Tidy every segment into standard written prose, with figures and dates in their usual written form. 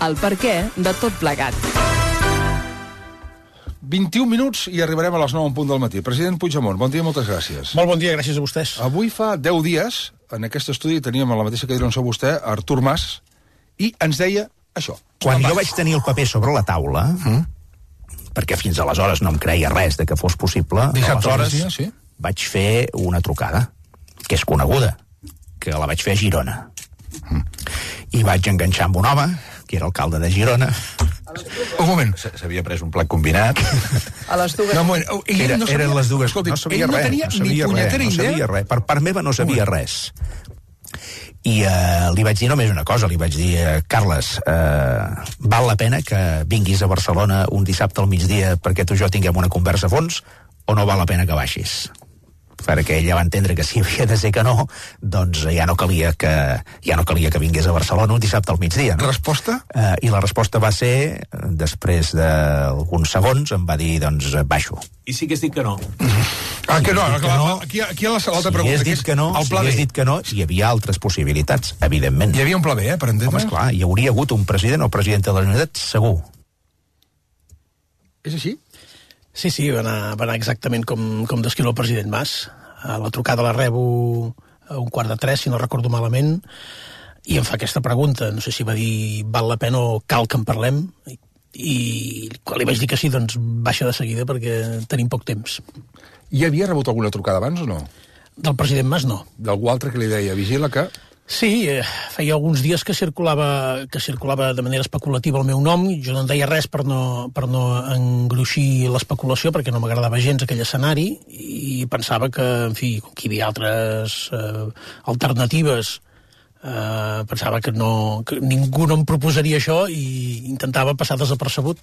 el perquè de tot plegat. 21 minuts i arribarem a les 9 en punt del matí. President Puigdemont, bon dia, moltes gràcies. Molt bon dia, gràcies a vostès. Avui fa 10 dies, en aquest estudi teníem a la mateixa cadira on sou vostè, Artur Mas, i ens deia això. Quan jo vaig tenir el paper sobre la taula, perquè fins aleshores no em creia res de que fos possible, aleshores vaig fer una trucada, que és coneguda, que la vaig fer a Girona. I vaig enganxar amb un home, que era alcalde de Girona. Un moment. S'havia pres un plat combinat. A les dues. No, un moment. Eren les dues. Escolti, no sabia ell no res, tenia no sabia ni punyetera res, no idea. sabia res. Per part meva no sabia res. I li vaig dir només una cosa, li vaig dir, Carles, val la pena que vinguis a Barcelona un dissabte al migdia perquè tu i jo tinguem una conversa a fons, o no val la pena que baixis? Perquè ella va entendre que si havia de ser que no, doncs ja no calia que vingués a Barcelona un dissabte al migdia. No? Resposta? I la resposta va ser, després d'alguns segons, em va dir, doncs, baixo. I sí que has dit que no? Que no, aquí hi ha l'altra pregunta. Si hagués dit que no, hi havia altres possibilitats, evidentment. Hi havia un pla B, per entendre? Home, esclar, hi hauria hagut un president o presidenta de la Generalitat, segur. És així? Sí, va anar exactament com descriu el president Mas. La trucada la rebo a 2:45, si no recordo malament, i em fa aquesta pregunta. No sé si va dir val la pena o cal que en parlem, i quan li vaig dir que sí, doncs baixa de seguida perquè tenim poc temps. Hi havia rebut alguna trucada abans o no? Del president Mas, no. D'algú altre que li deia, vigila que... Sí, feia alguns dies que circulava de manera especulativa el meu nom. Jo no en deia res per no engruixir l'especulació, perquè no m'agradava gens aquell escenari, i pensava que, en fi, com que hi havia altres alternatives, pensava que ningú no em proposaria això, i intentava passar desapercebut,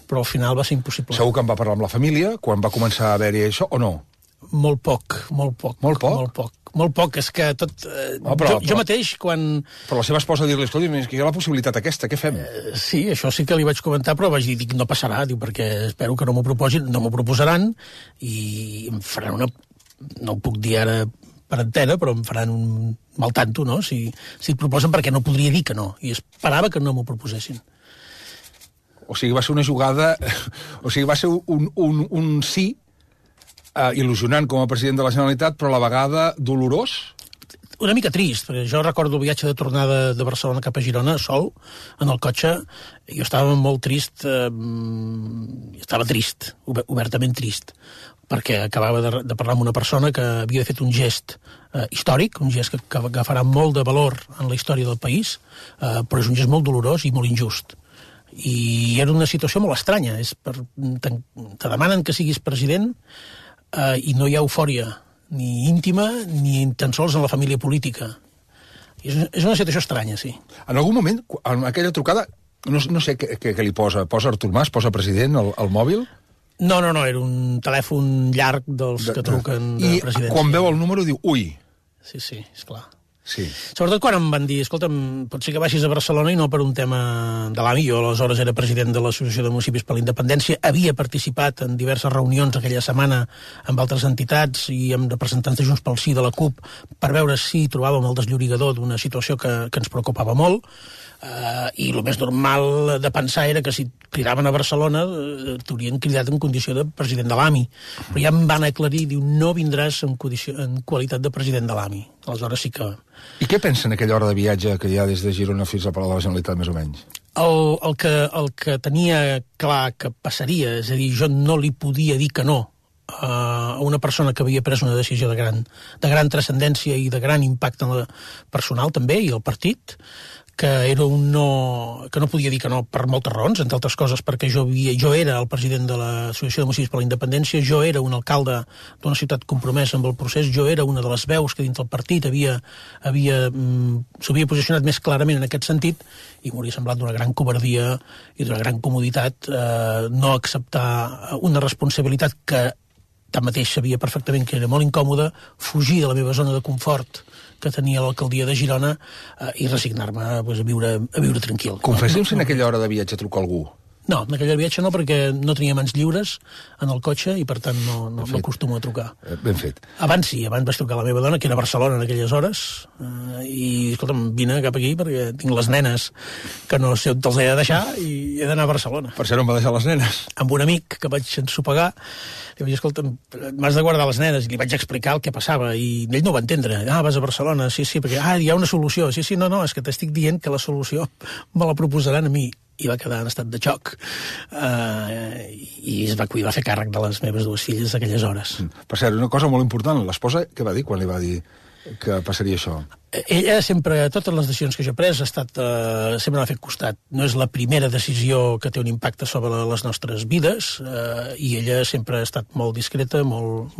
però al final va ser impossible. Segur que en va parlar amb la família quan va començar a haver-hi això, o no? Molt poc. Molt poc, és que tot... Jo mateix, quan... Però la seva esposa dir-li, escolta, que hi ha la possibilitat aquesta, què fem? Sí, això sí que li vaig comentar, però vaig dir, no passarà, perquè espero que no m'ho proposin, no m'ho proposaran, i em faran una... No ho puc dir ara per antena, però em faran un mal tanto, no? Si et proposen, perquè no podria dir que no, i esperava que no m'ho proposessin. O sigui, va ser una jugada... O sigui, va ser un sí il·lusionant com a president de la Generalitat, però a la vegada dolorós? Una mica trist, perquè jo recordo el viatge de tornada de Barcelona cap a Girona, sol, en el cotxe, i jo estava molt trist, estava trist, obertament trist, perquè acabava de parlar amb una persona que havia fet un gest històric, un gest que agafarà molt de valor en la història del país, però és un gest molt dolorós i molt injust. I era una situació molt estranya. Te demanen que siguis president, i no hi ha eufòria ni íntima ni tan sols en la família política. És una situació estranya, sí. En algun moment, en aquella trucada, no sé què li posa Artur Mas, posa president al mòbil? No, era un telèfon llarg dels que truquen de presidència. I quan veu el número diu, ui. Sí, esclar. Sí. Sobretot quan em van dir, escolta'm, pot ser que baixis a Barcelona i no per un tema de l'AMI. Jo aleshores era president de l'Associació de Municipis per la Independència, havia participat en diverses reunions aquella setmana amb altres entitats i amb representants de Junts pel Sí, de la CUP, per veure si trobàvem el desllorigador d'una situació que ens preocupava molt. I el més normal de pensar era que si cridaven a Barcelona t'haurien cridat en condició de president de l'AMI, però ja em van aclarir, diu, no vindràs en qualitat de president de l'AMI. Aleshores sí que... I què pensa en aquella hora de viatge que hi ha des de Girona fins al Palau de la Generalitat, més o menys? El que tenia clar que passaria, és a dir, jo no li podia dir que no a una persona que havia pres una decisió de gran transcendència i de gran impacte personal també, i el partit, que era que no podia dir que no per moltes raons, entre altres coses perquè jo era el president de l'Associació de Municipis per la Independència, jo era un alcalde d'una ciutat compromesa amb el procés, jo era una de les veus que dins del partit s'havia posicionat més clarament en aquest sentit, i m'hauria semblat d'una gran covardia i d'una gran comoditat no acceptar una responsabilitat que tanmateix sabia perfectament que era molt incòmoda, fugir de la meva zona de confort que tenia l'alcaldia de Girona i resignar-me a viure tranquil. Confessi'm si en aquella hora de viatge truca algú. No, en aquell viatge no, perquè no tenia mans lliures en el cotxe i, per tant, no acostumo a trucar. Ben fet. Abans sí, abans vaig trucar a la meva dona, que era a Barcelona en aquelles hores, i, escolta'm, vine cap aquí perquè tinc les nenes que no sé on te'ls he de deixar i he d'anar a Barcelona. Per ser on va deixar les nenes? Amb un amic que vaig ensopegar, li vaig dir, escolta'm, m'has de guardar les nenes, i li vaig explicar el que passava, i ell no ho va entendre. Vas a Barcelona, sí, perquè, hi ha una solució. Sí, no, és que t'estic dient que la solució me la proposaran a mi. I va quedar en estat de xoc i es va fer càrrec de les meves dues filles d'aquelles hores. Per cert, una cosa molt important, l'esposa què va dir quan li va dir que passaria això? Ella sempre, totes les decisions que jo he pres, sempre m'ha fet costat. No és la primera decisió que té un impacte sobre les nostres vides, i ella sempre ha estat molt discreta, molt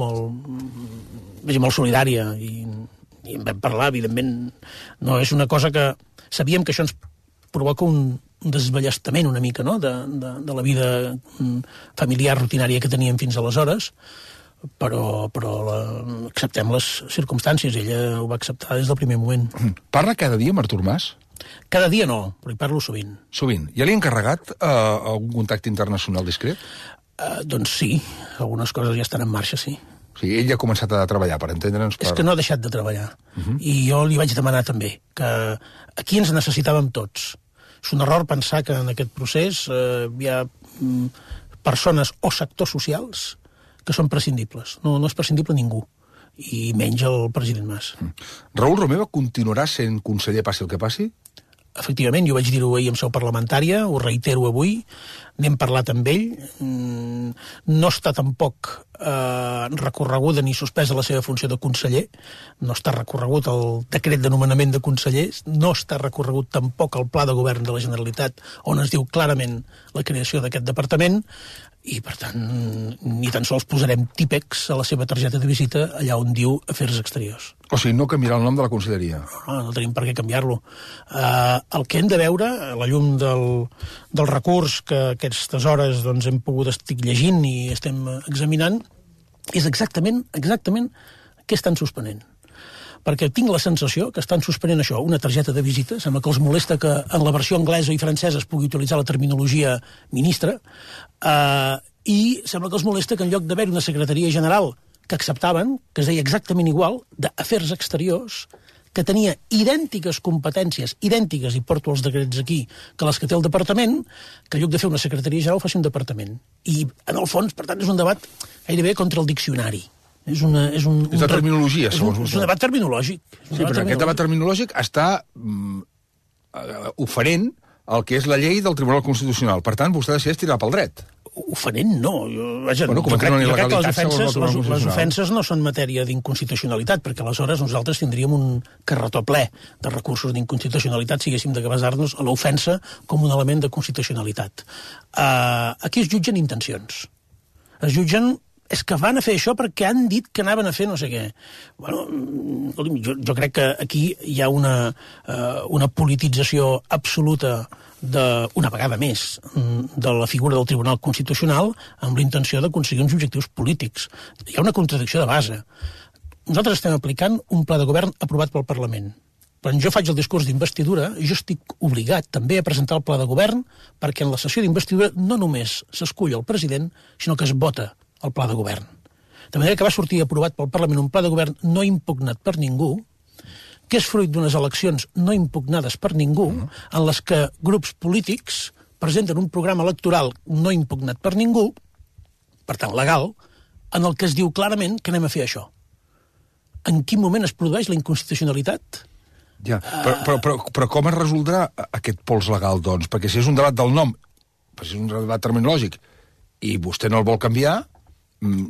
solidària, i en vam parlar, evidentment. No és una cosa que... Sabíem que això ens provoca un desballestament una mica, no?, de la vida familiar rutinària que teníem fins aleshores, però acceptem les circumstàncies. Ella ho va acceptar des del primer moment. Parla cada dia amb Artur Mas? Cada dia no, però hi parlo sovint. Sovint. Ja li ha encarregat algun contacte internacional discret? Doncs sí, algunes coses ja estan en marxa, sí. O sigui, ell ja ha començat a treballar, per entendre'ns... És que no ha deixat de treballar. I jo li vaig demanar també que aquí ens necessitàvem tots. És un error pensar que en aquest procés hi ha persones o sectors socials que són prescindibles. No és prescindible ningú, i menys el president Mas. Raül Romeva continuarà sent conseller passi el que passi? Efectivament, jo vaig dir-ho ahir en seu parlamentària, ho reitero avui, n'hem parlat amb ell, no està tampoc recorreguda ni suspesa la seva funció de conseller, no està recorregut el decret de nomenament de consellers, no està recorregut tampoc el pla de govern de la Generalitat, on es diu clarament la creació d'aquest departament, i, per tant, ni tan sols posarem típex a la seva targeta de visita allà on diu Afers Exteriors. O sigui, no canviarà el nom de la conselleria? No tenim per què canviar-lo. El que hem de veure, a la llum del recurs que aquestes hores hem pogut estar llegint i estem examinant, és exactament què estan suspenent. Perquè tinc la sensació que estan suspenent això, una targeta de visita, sembla que els molesta que en la versió anglesa i francesa es pugui utilitzar la terminologia ministre, i sembla que els molesta que en lloc d'haver una secretaria general que acceptaven, que es deia exactament igual, d'Afers Exteriors, que tenia idèntiques competències, idèntiques, i porto els decrets aquí, que les que té el departament, que en lloc de fer una secretaria general faci un departament. I, en el fons, per tant, és un debat gairebé contra el diccionari. És de terminologia, segons vostè. És un debat terminològic. Sí, però aquest debat terminològic està oferent el que és la llei del Tribunal Constitucional. Per tant, vostè decideix tirar pel dret. Oferent, no. Jo crec que les ofenses no són matèria d'inconstitucionalitat, perquè aleshores nosaltres tindríem un carretó ple de recursos d'inconstitucionalitat si haguéssim de basar-nos a l'ofensa com un element de constitucionalitat. Aquí es jutgen intencions. Es jutgen és que van a fer això perquè han dit que anaven a fer no sé què. Bueno, jo crec que aquí hi ha una politització absoluta una vegada més de la figura del Tribunal Constitucional amb la intenció d'aconseguir uns objectius polítics. Hi ha una contradicció de base. Nosaltres estem aplicant un pla de govern aprovat pel Parlament. Quan jo faig el discurs d'investidura, jo estic obligat també a presentar el pla de govern perquè en la sessió d'investidura no només s'escull el president, sinó que es vota el pla de govern. De manera que va sortir aprovat pel Parlament un pla de govern no impugnat per ningú, que és fruit d'unes eleccions no impugnades per ningú, en les que grups polítics presenten un programa electoral no impugnat per ningú, per tant legal, en el que es diu clarament que anem a fer això. En quin moment es produeix la inconstitucionalitat? Ja, però com es resoldrà aquest pols legal, doncs? Perquè si és un debat del nom, si és un debat terminològic, i vostè no el vol canviar,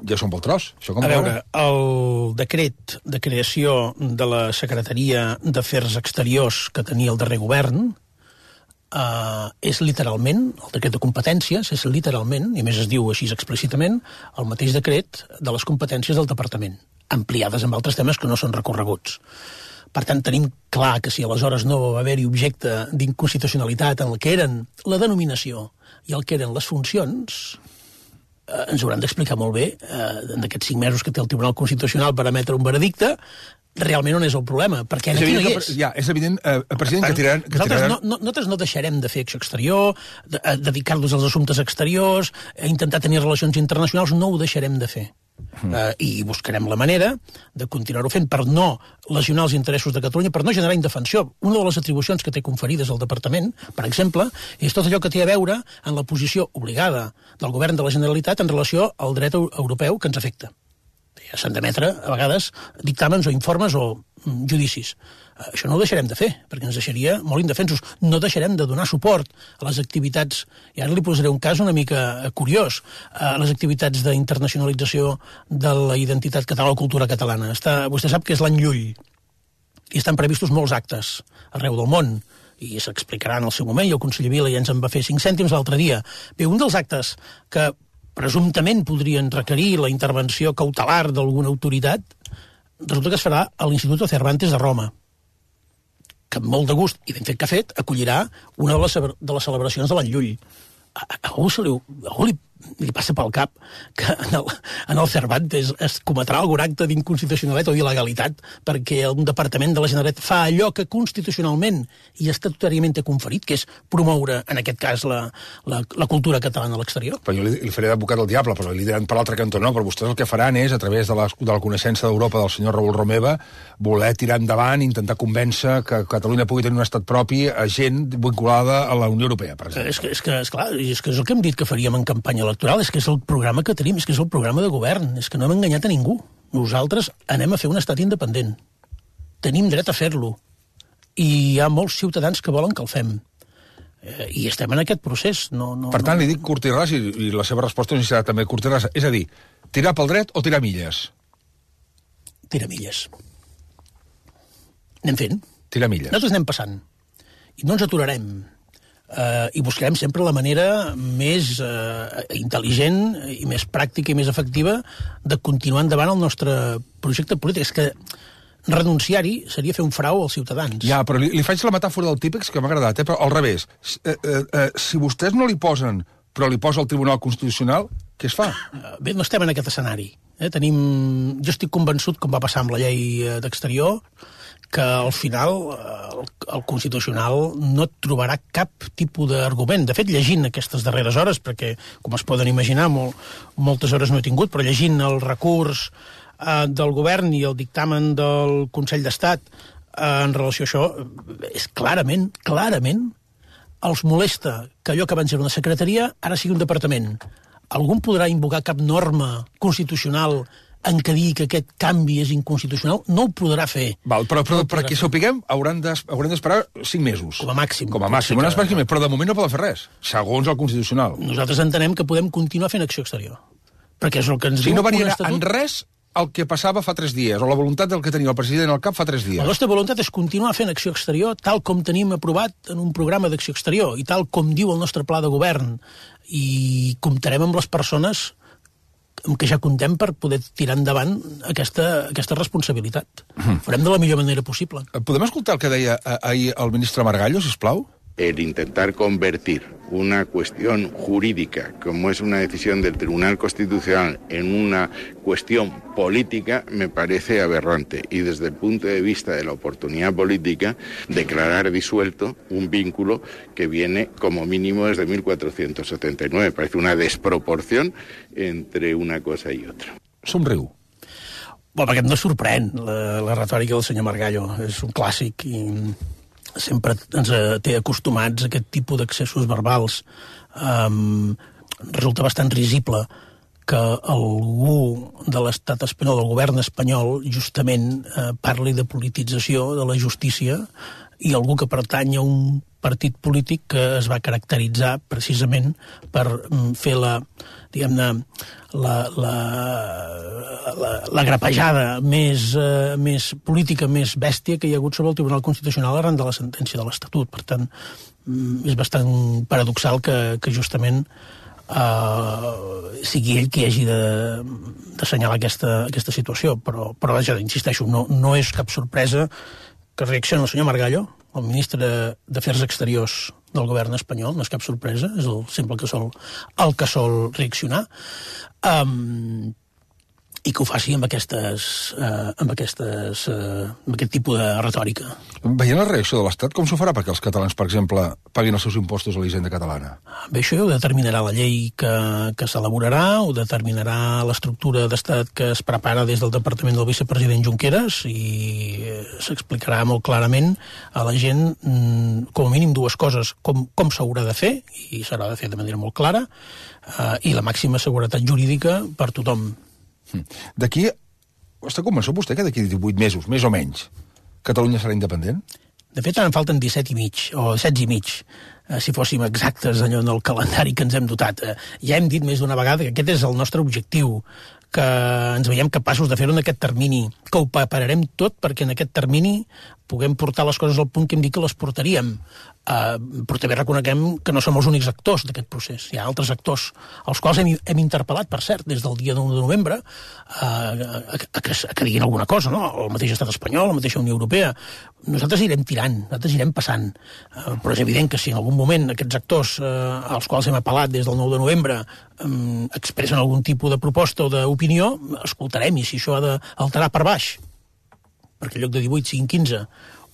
ja són pel tros. A veure, el decret de creació de la Secretaria d'Afers Exteriors que tenia el darrer govern és literalment, el decret de competències és literalment, i a més es diu així explícitament, el mateix decret de les competències del departament, ampliades amb altres temes que no són recorreguts. Per tant, tenim clar que si aleshores no va haver-hi objecte d'inconstitucionalitat en el que eren la denominació i el que eren les funcions, ens hauran d'explicar molt bé, en aquests 5 mesos que té el Tribunal Constitucional per emetre un veredicte, realment on és el problema, perquè aquí no hi és. Ja, és evident, president, que tiraran... Nosaltres no deixarem de fer acció exterior, a dedicar-nos als assumptes exteriors, a intentar tenir relacions internacionals, no ho deixarem de fer. I buscarem la manera de continuar-ho fent per no lesionar els interessos de Catalunya, per no generar indefensió. Una de les atribucions que té conferides el Departament, per exemple, és tot allò que té a veure en la posició obligada del govern de la Generalitat en relació al dret europeu que ens afecta. S'han d'emetre, a vegades, dictàmens o informes o judicis. Això no ho deixarem de fer, perquè ens deixaria molt indefensos. No deixarem de donar suport a les activitats, i ara li posaré un cas una mica curiós, a les activitats d'internacionalització de la identitat catalana o cultura catalana. Vostè sap que és l'any Llull, i estan previstos molts actes arreu del món, i s'explicarà en el seu moment, i el conseller Vila ja ens en va fer 5 cèntims l'altre dia. Bé, un dels actes que presumptament podrien requerir la intervenció cautelar d'alguna autoritat, resulta que es farà a l'Institut Cervantes de Roma, que amb molt de gust i ben fet que ha fet, acollirà una de les celebracions de l'any Llull. A algú li passa pel cap que en el Cervantes es cometrà algun acte d'inconstitucionalitat o d'il·legalitat perquè un departament de la Generalitat fa allò que constitucionalment i estatutàriament té conferit, que és promoure, en aquest cas, la cultura catalana a l'exterior. Però jo li faré d'advocat al diable, però li diran per l'altre cantó no, però vostès el que faran és, a través de la coneixença d'Europa del senyor Raül Romeva, voler tirar endavant, intentar convèncer que Catalunya pugui tenir un estat propi a gent vinculada a la Unió Europea, per exemple. És que és el que hem dit que faríem en campanya electoral, és que és el programa que tenim, és que és el programa de govern, és que no hem enganyat a ningú. Nosaltres anem a fer un estat independent. Tenim dret a fer-lo. I hi ha molts ciutadans que volen que el fem. I estem en aquest procés. Per tant, li dic curt i ras, i la seva resposta no serà també curt i ras. És a dir, tirar pel dret o tirar milles? Tirar milles. Anem fent. Tirar milles. Nosaltres anem passant. I no ens aturarem. I buscarem sempre la manera més intel·ligent i més pràctica i més efectiva de continuar endavant el nostre projecte polític. És que renunciar-hi seria fer un frau als ciutadans. Ja, però li faig la metàfora del típex que m'ha agradat, però al revés. Si vostès no li posen, però li posa el Tribunal Constitucional, què es fa? Bé, no estem en aquest escenari. Jo estic convençut, com va passar amb la llei d'Exterior, que al final el Constitucional no et trobarà cap tipus d'argument. De fet, llegint aquestes darreres hores, perquè, com es poden imaginar, moltes hores no he tingut, però llegint el recurs del govern i el dictamen del Consell d'Estat en relació a això, és clarament, els molesta que allò que abans era una secretaria ara sigui un departament. Algú podrà invocar cap norma constitucional en què digui que aquest canvi és inconstitucional? No ho podrà fer. Val, però perquè sapiguem haurem d'esperar 5 mesos. Com a màxim. Però de moment no poden fer res, segons el Constitucional. Nosaltres entenem que podem continuar fent acció exterior. Perquè és el que ens diu no variarà en res el que passava fa 3 dies, o la voluntat del que tenia el president al cap fa 3 dies. La nostra voluntat és continuar fent acció exterior tal com tenim aprovat en un programa d'acció exterior i tal com diu el nostre pla de govern. I comptarem amb les persones amb què ja comptem per poder tirar endavant aquesta responsabilitat. Farem de la millor manera possible. Podem escoltar el que deia ahir el ministre Margallo, sisplau? El intentar convertir una cuestión jurídica, como es una decisión del Tribunal Constitucional, en una cuestión política, me parece aberrante. Y desde el punto de vista de la oportunidad política, declarar disuelto un vínculo que viene como mínimo desde 1479. Parece una desproporción entre una cosa y otra. Somriu. Bueno, perquè no sorprèn la retòrica del senyor Margallo. És un clàssic i sempre ens té acostumats a aquest tipus d'accessos verbals. Resulta bastant risible que algú de l'estat espanyol, del govern espanyol, justament parli de politització de la justícia i algú que pertany a un partit polític que es va caracteritzar precisament per fer la grapejada més política, més bèstia que hi ha hagut sobre el Tribunal Constitucional arran de la sentència de l'Estatut. Per tant, és bastant paradoxal que justament sigui ell qui hagi d'assenyalar aquesta situació. Però ja insisteixo, no és cap sorpresa que reaccioni el senyor Margallo, el ministre d'Afers Exteriors del govern espanyol, no és cap sorpresa, és el que sol reaccionar. i que ho faci amb aquest tipus de retòrica. Veient la reacció de l'Estat, com s'ho farà perquè els catalans, per exemple, paguin els seus impostos a la hisenda catalana? Bé, això ja ho determinarà la llei que s'elaborarà, ho determinarà l'estructura d'Estat que es prepara des del Departament del vicepresident Junqueras i s'explicarà molt clarament a la gent, com a mínim, dues coses, com s'haurà de fer, i s'haurà de fer de manera molt clara, i la màxima seguretat jurídica per tothom. D'aquí, està convençut vostè que d'aquí 18 mesos, més o menys, Catalunya serà independent? De fet, ara en falten 17 i mig, o 16 i mig, si fóssim exactes allò en el calendari que ens hem dotat. Ja hem dit més d'una vegada que aquest és el nostre objectiu, que ens veiem capaços de fer-ho en aquest termini, que ho prepararem tot perquè en aquest termini puguem portar les coses al punt que hem dit que les portaríem. Però també reconeguem que no som els únics actors d'aquest procés. Hi ha altres actors, els quals hem interpel·lat, per cert, des del dia 1 de novembre, que diguin alguna cosa, no? El mateix estat espanyol, la mateixa Unió Europea. Nosaltres irem tirant, nosaltres irem passant. Però és evident que si en algun moment aquests actors als quals hem apel·lat des del 9 de novembre expressen algun tipus de proposta o d'opinió, escoltarem, i si això ha d'alterar per baix, perquè en lloc de 18 siguin 15,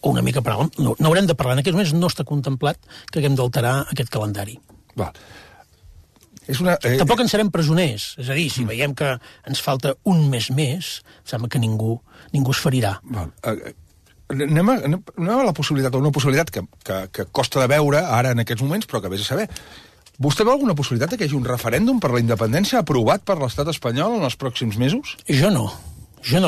o una mica per alt, no haurem de parlar. En aquests moments no està contemplat que haguem d'alterar aquest calendari. Val. Tampoc en serem presoners. És a dir, si veiem que ens falta un mes més, sembla que ningú es ferirà. Val. Anem a la possibilitat, o una possibilitat que costa de veure ara en aquests moments, però que vés a saber. Vostè veu alguna possibilitat que hi hagi un referèndum per la independència aprovat per l'estat espanyol en els pròxims mesos? Jo no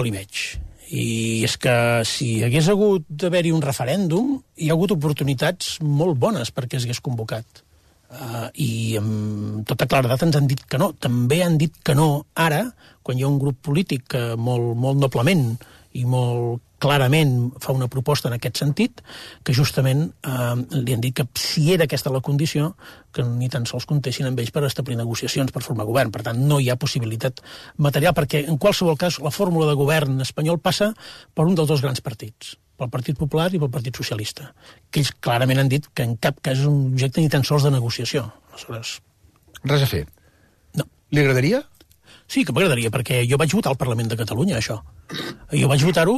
l'hi veig. I és que si hagués hagut d'haver-hi un referèndum, hi ha hagut oportunitats molt bones perquè es hagués convocat. I amb tota claredat ens han dit que no. També han dit que no ara, quan hi ha un grup polític que molt noblement i molt clarament fa una proposta en aquest sentit, que justament li han dit que si era aquesta la condició, que ni tan sols comptessin amb ells per establir negociacions per formar govern. Per tant, no hi ha possibilitat material, perquè en qualsevol cas la fórmula de govern espanyol passa per un dels dos grans partits, pel Partit Popular i pel Partit Socialista, que ells clarament han dit que en cap cas és un objecte ni tan sols de negociació. Aleshores... Res a fer? No. Li agradaria? Sí, que m'agradaria, perquè jo vaig votar al Parlament de Catalunya, això. Jo vaig votar-ho,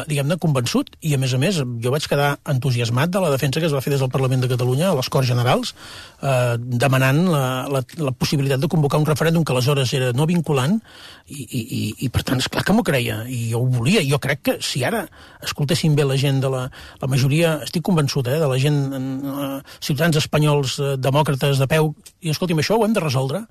diguem-ne, convençut, i a més, jo vaig quedar entusiasmat de la defensa que es va fer des del Parlament de Catalunya a les Corts Generals, demanant la possibilitat de convocar un referèndum que aleshores era no vinculant, i per tant, esclar que m'ho creia, i jo ho volia. Jo crec que si ara escoltessin bé la gent de la majoria, estic convençut, de la gent, ciutadans espanyols, demòcrates de peu, i escolti'm, això ho hem de resoldre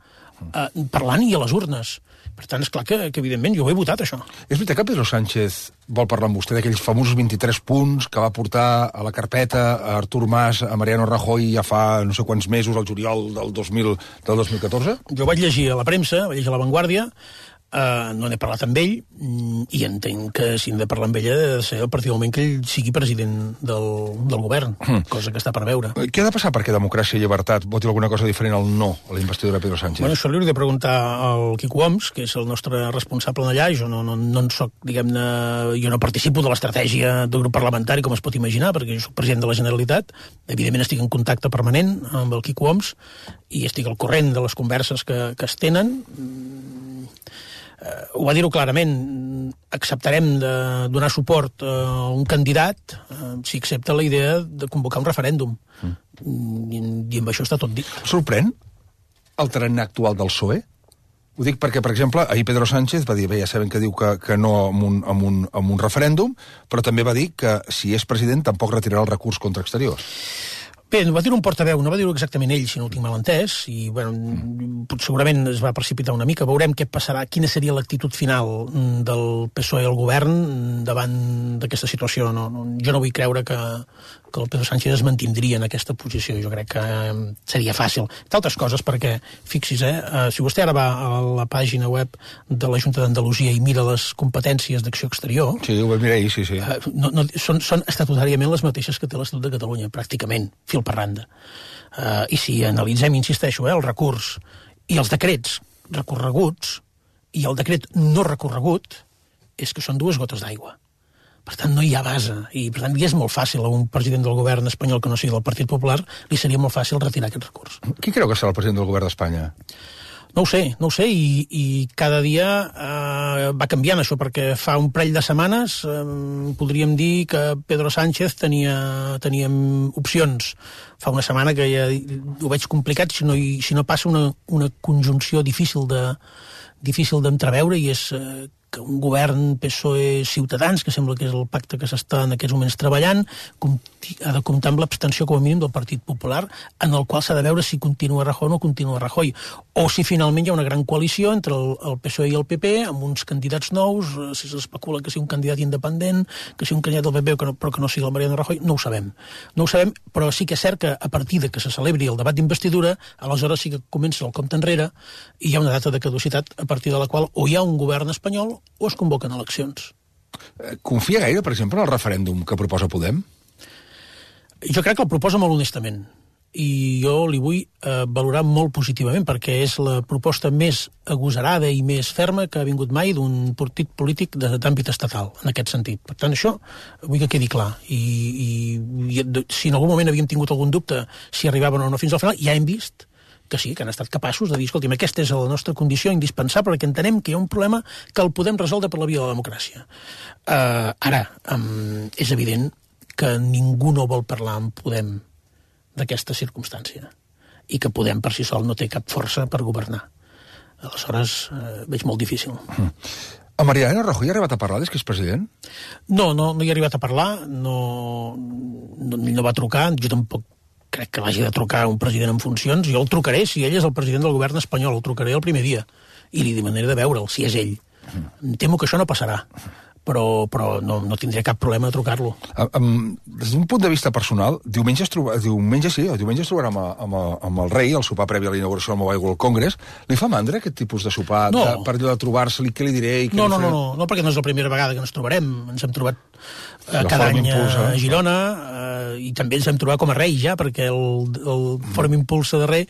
parlant i a les urnes. Per tant, esclar que evidentment jo ho he votat, això. És veritat que Pedro Sánchez vol parlar amb vostè d'aquells famosos 23 punts que va portar a la carpeta a Artur Mas, a Mariano Rajoy ja fa no sé quants mesos, al juliol del 2014? Jo vaig llegir a la premsa, vaig llegir a La Vanguardia, no n'he parlat amb ell, i entenc que si hem de parlar amb ell ha de ser a partir del moment que ell sigui president del govern, cosa que està per veure. Què ha de passar perquè Democràcia i Llibertat voti alguna cosa diferent al no a la investidura de Pedro Sánchez? Bueno, això li hauria de preguntar al Quico Homs, que és el nostre responsable d'allà. Jo no en soc, diguem-ne, jo no participo de l'estratègia del grup parlamentari, com es pot imaginar, perquè jo soc president de la Generalitat. Evidentment estic en contacte permanent amb el Quico Homs i estic al corrent de les converses que es tenen. Ho va dir-ho clarament, acceptarem de donar suport a un candidat si accepta la idea de convocar un referèndum. I amb això està tot dit. Sorprèn el tarannà actual del PSOE? Ho dic perquè, per exemple, ahir Pedro Sánchez va dir, bé, ja sabem que diu que no amb un referèndum, però també va dir que si és president tampoc retirarà el recurs contra exteriors. Bé, va dir un portaveu, no va dir-ho exactament ell, si no ho tinc mal entès, i segurament es va precipitar una mica. Veurem què passarà, quina seria l'actitud final del PSOE al govern davant d'aquesta situació. Jo no vull creure que el Pedro Sánchez es mantindria en aquesta posició. Jo crec que seria fàcil. D'altres coses, perquè, fixis, si vostè ara va a la pàgina web de la Junta d'Andalusia i mira les competències d'acció exterior... Sí, ho vaig mirar ahir, sí. Són estatutàriament les mateixes que té l'Estatut de Catalunya, pràcticament, fil per randa. I si analitzem, insisteixo, el recurs i els decrets recorreguts i el decret no recorregut, és que són dues gotes d'aigua. Per tant, no hi ha base. I, per tant, és molt fàcil a un president del govern espanyol que no sigui del Partit Popular, li seria molt fàcil retirar aquest recurs. Qui creu que serà el president del govern d'Espanya? No ho sé, i cada dia va canviant això, perquè fa un parell de setmanes podríem dir que Pedro Sánchez tenia opcions. Fa una setmana que ja ho veig complicat si no passa una conjunció difícil d'entreveure, i és que un govern PSOE-Ciutadans, que sembla que és el pacte que s'està en aquests moments treballant, ha de comptar amb l'abstenció com a mínim del Partit Popular, en el qual s'ha de veure si continua Rajoy o no continua Rajoy, o si finalment hi ha una gran coalició entre el PSOE i el PP, amb uns candidats nous, si s'especula que sigui un candidat independent, que sigui un candidat del PP però que no sigui el Mariano Rajoy, no ho sabem, però sí que és cert que a partir de que se celebri el debat d'investidura, aleshores sí que comença el compte enrere i hi ha una data de caducitat a partir de la qual o hi ha un govern espanyol o es convoquen eleccions. Confia gaire, per exemple, en el referèndum que proposa Podem? Jo crec que el proposa molt honestament, i jo li vull valorar molt positivament, perquè és la proposta més agosarada i més ferma que ha vingut mai d'un partit polític d'àmbit estatal, en aquest sentit. Per tant, això vull que quedi clar. I si en algun moment havíem tingut algun dubte si arribaven o no fins al final, ja hem vist que sí, que han estat capaços de dir, escolti'm, aquesta és la nostra condició indispensable perquè entenem que hi ha un problema que el podem resoldre per la via de la democràcia. Ara, és evident que ningú no vol parlar amb Podem d'aquesta circumstància i que Podem per si sol no té cap força per governar. Aleshores, veig molt difícil. A Mariano Rajoy ha arribat a parlar des que és president? No hi ha arribat a parlar, no va trucar, jo tampoc crec que l'hagi de trucar un president en funcions. Jo el trucaré si ell és el president del govern espanyol, el trucaré el primer dia i li demanaré de veure'l, si és ell. Temo que això no passarà, però no tindré cap problema de trucar-lo. Des d'un punt de vista personal, diumenge es trobarà amb el rei, el sopar previ a la inauguració del Mobile World Congress. Li fa mandra aquest tipus de sopar? No. Per allò de trobar-se-li, què li diré? No, perquè no és la primera vegada que ens trobarem. Ens hem trobat cada any a Girona, i també ens hem trobat com a rei ja, perquè el Fòrum Impulsa de Rei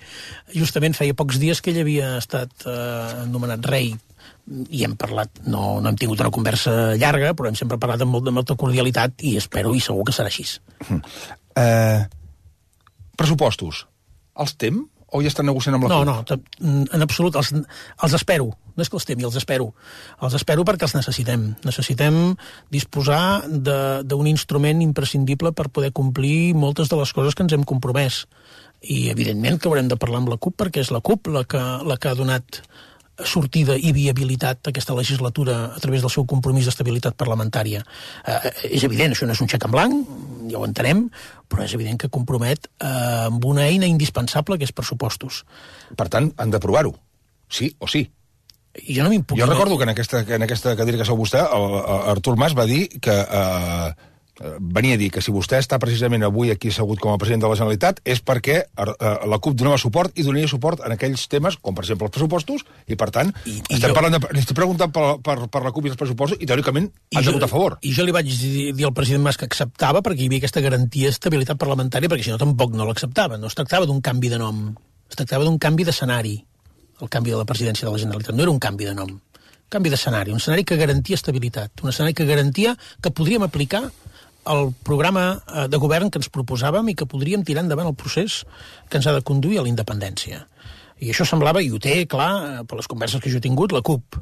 justament feia pocs dies que ell havia estat anomenat rei, i hem parlat, no hem tingut una conversa llarga, però hem sempre parlat amb molta cordialitat i espero i segur que serà així. Pressupostos, els tem o ja estan negociant amb la CUP? No, en absolut, els espero. No és que els temi, els espero. Els espero perquè els necessitem. Necessitem disposar d'un instrument imprescindible per poder complir moltes de les coses que ens hem compromès. I, evidentment, que haurem de parlar amb la CUP, perquè és la CUP la que ha donat sortida i viabilitat a aquesta legislatura a través del seu compromís d'estabilitat parlamentària. És evident, això no és un xec en blanc, ja ho entenem, però és evident que compromet amb una eina indispensable que és pressupostos. Per tant, han d'aprovar-ho, sí o sí. Jo recordo que en aquesta cadira que sou vostè, Artur Mas va dir que venia a dir que si vostè està precisament avui aquí assegut com a president de la Generalitat és perquè la CUP donava suport i donaria suport en aquells temes, com per exemple els pressupostos, i per tant, li estic preguntant per la CUP i els pressupostos, i teòricament han de votar a favor. I jo li vaig dir al president Mas que acceptava perquè hi havia aquesta garantia d'estabilitat parlamentària, perquè si no tampoc no l'acceptava. No es tractava d'un canvi de nom, es tractava d'un canvi d'escenari, el canvi de la presidència de la Generalitat. No era un canvi de nom, un canvi d'escenari, un escenari que garantia estabilitat, un escenari que garantia que podríem aplicar el programa de govern que ens proposàvem i que podríem tirar endavant el procés que ens ha de conduir a la independència. I això semblava, i ho té clar, per les converses que jo he tingut, la CUP.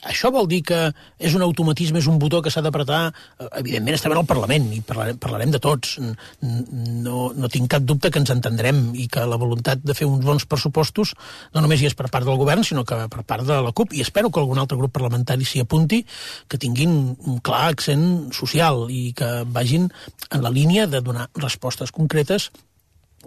Això vol dir que és un automatisme, és un botó que s'ha d'apretar? Evidentment estem en el Parlament i parlarem de tots. No tinc cap dubte que ens entendrem i que la voluntat de fer uns bons pressupostos no només hi és per part del govern, sinó que per part de la CUP, i espero que algun altre grup parlamentari s'hi apunti, que tinguin un clar accent social i que vagin en la línia de donar respostes concretes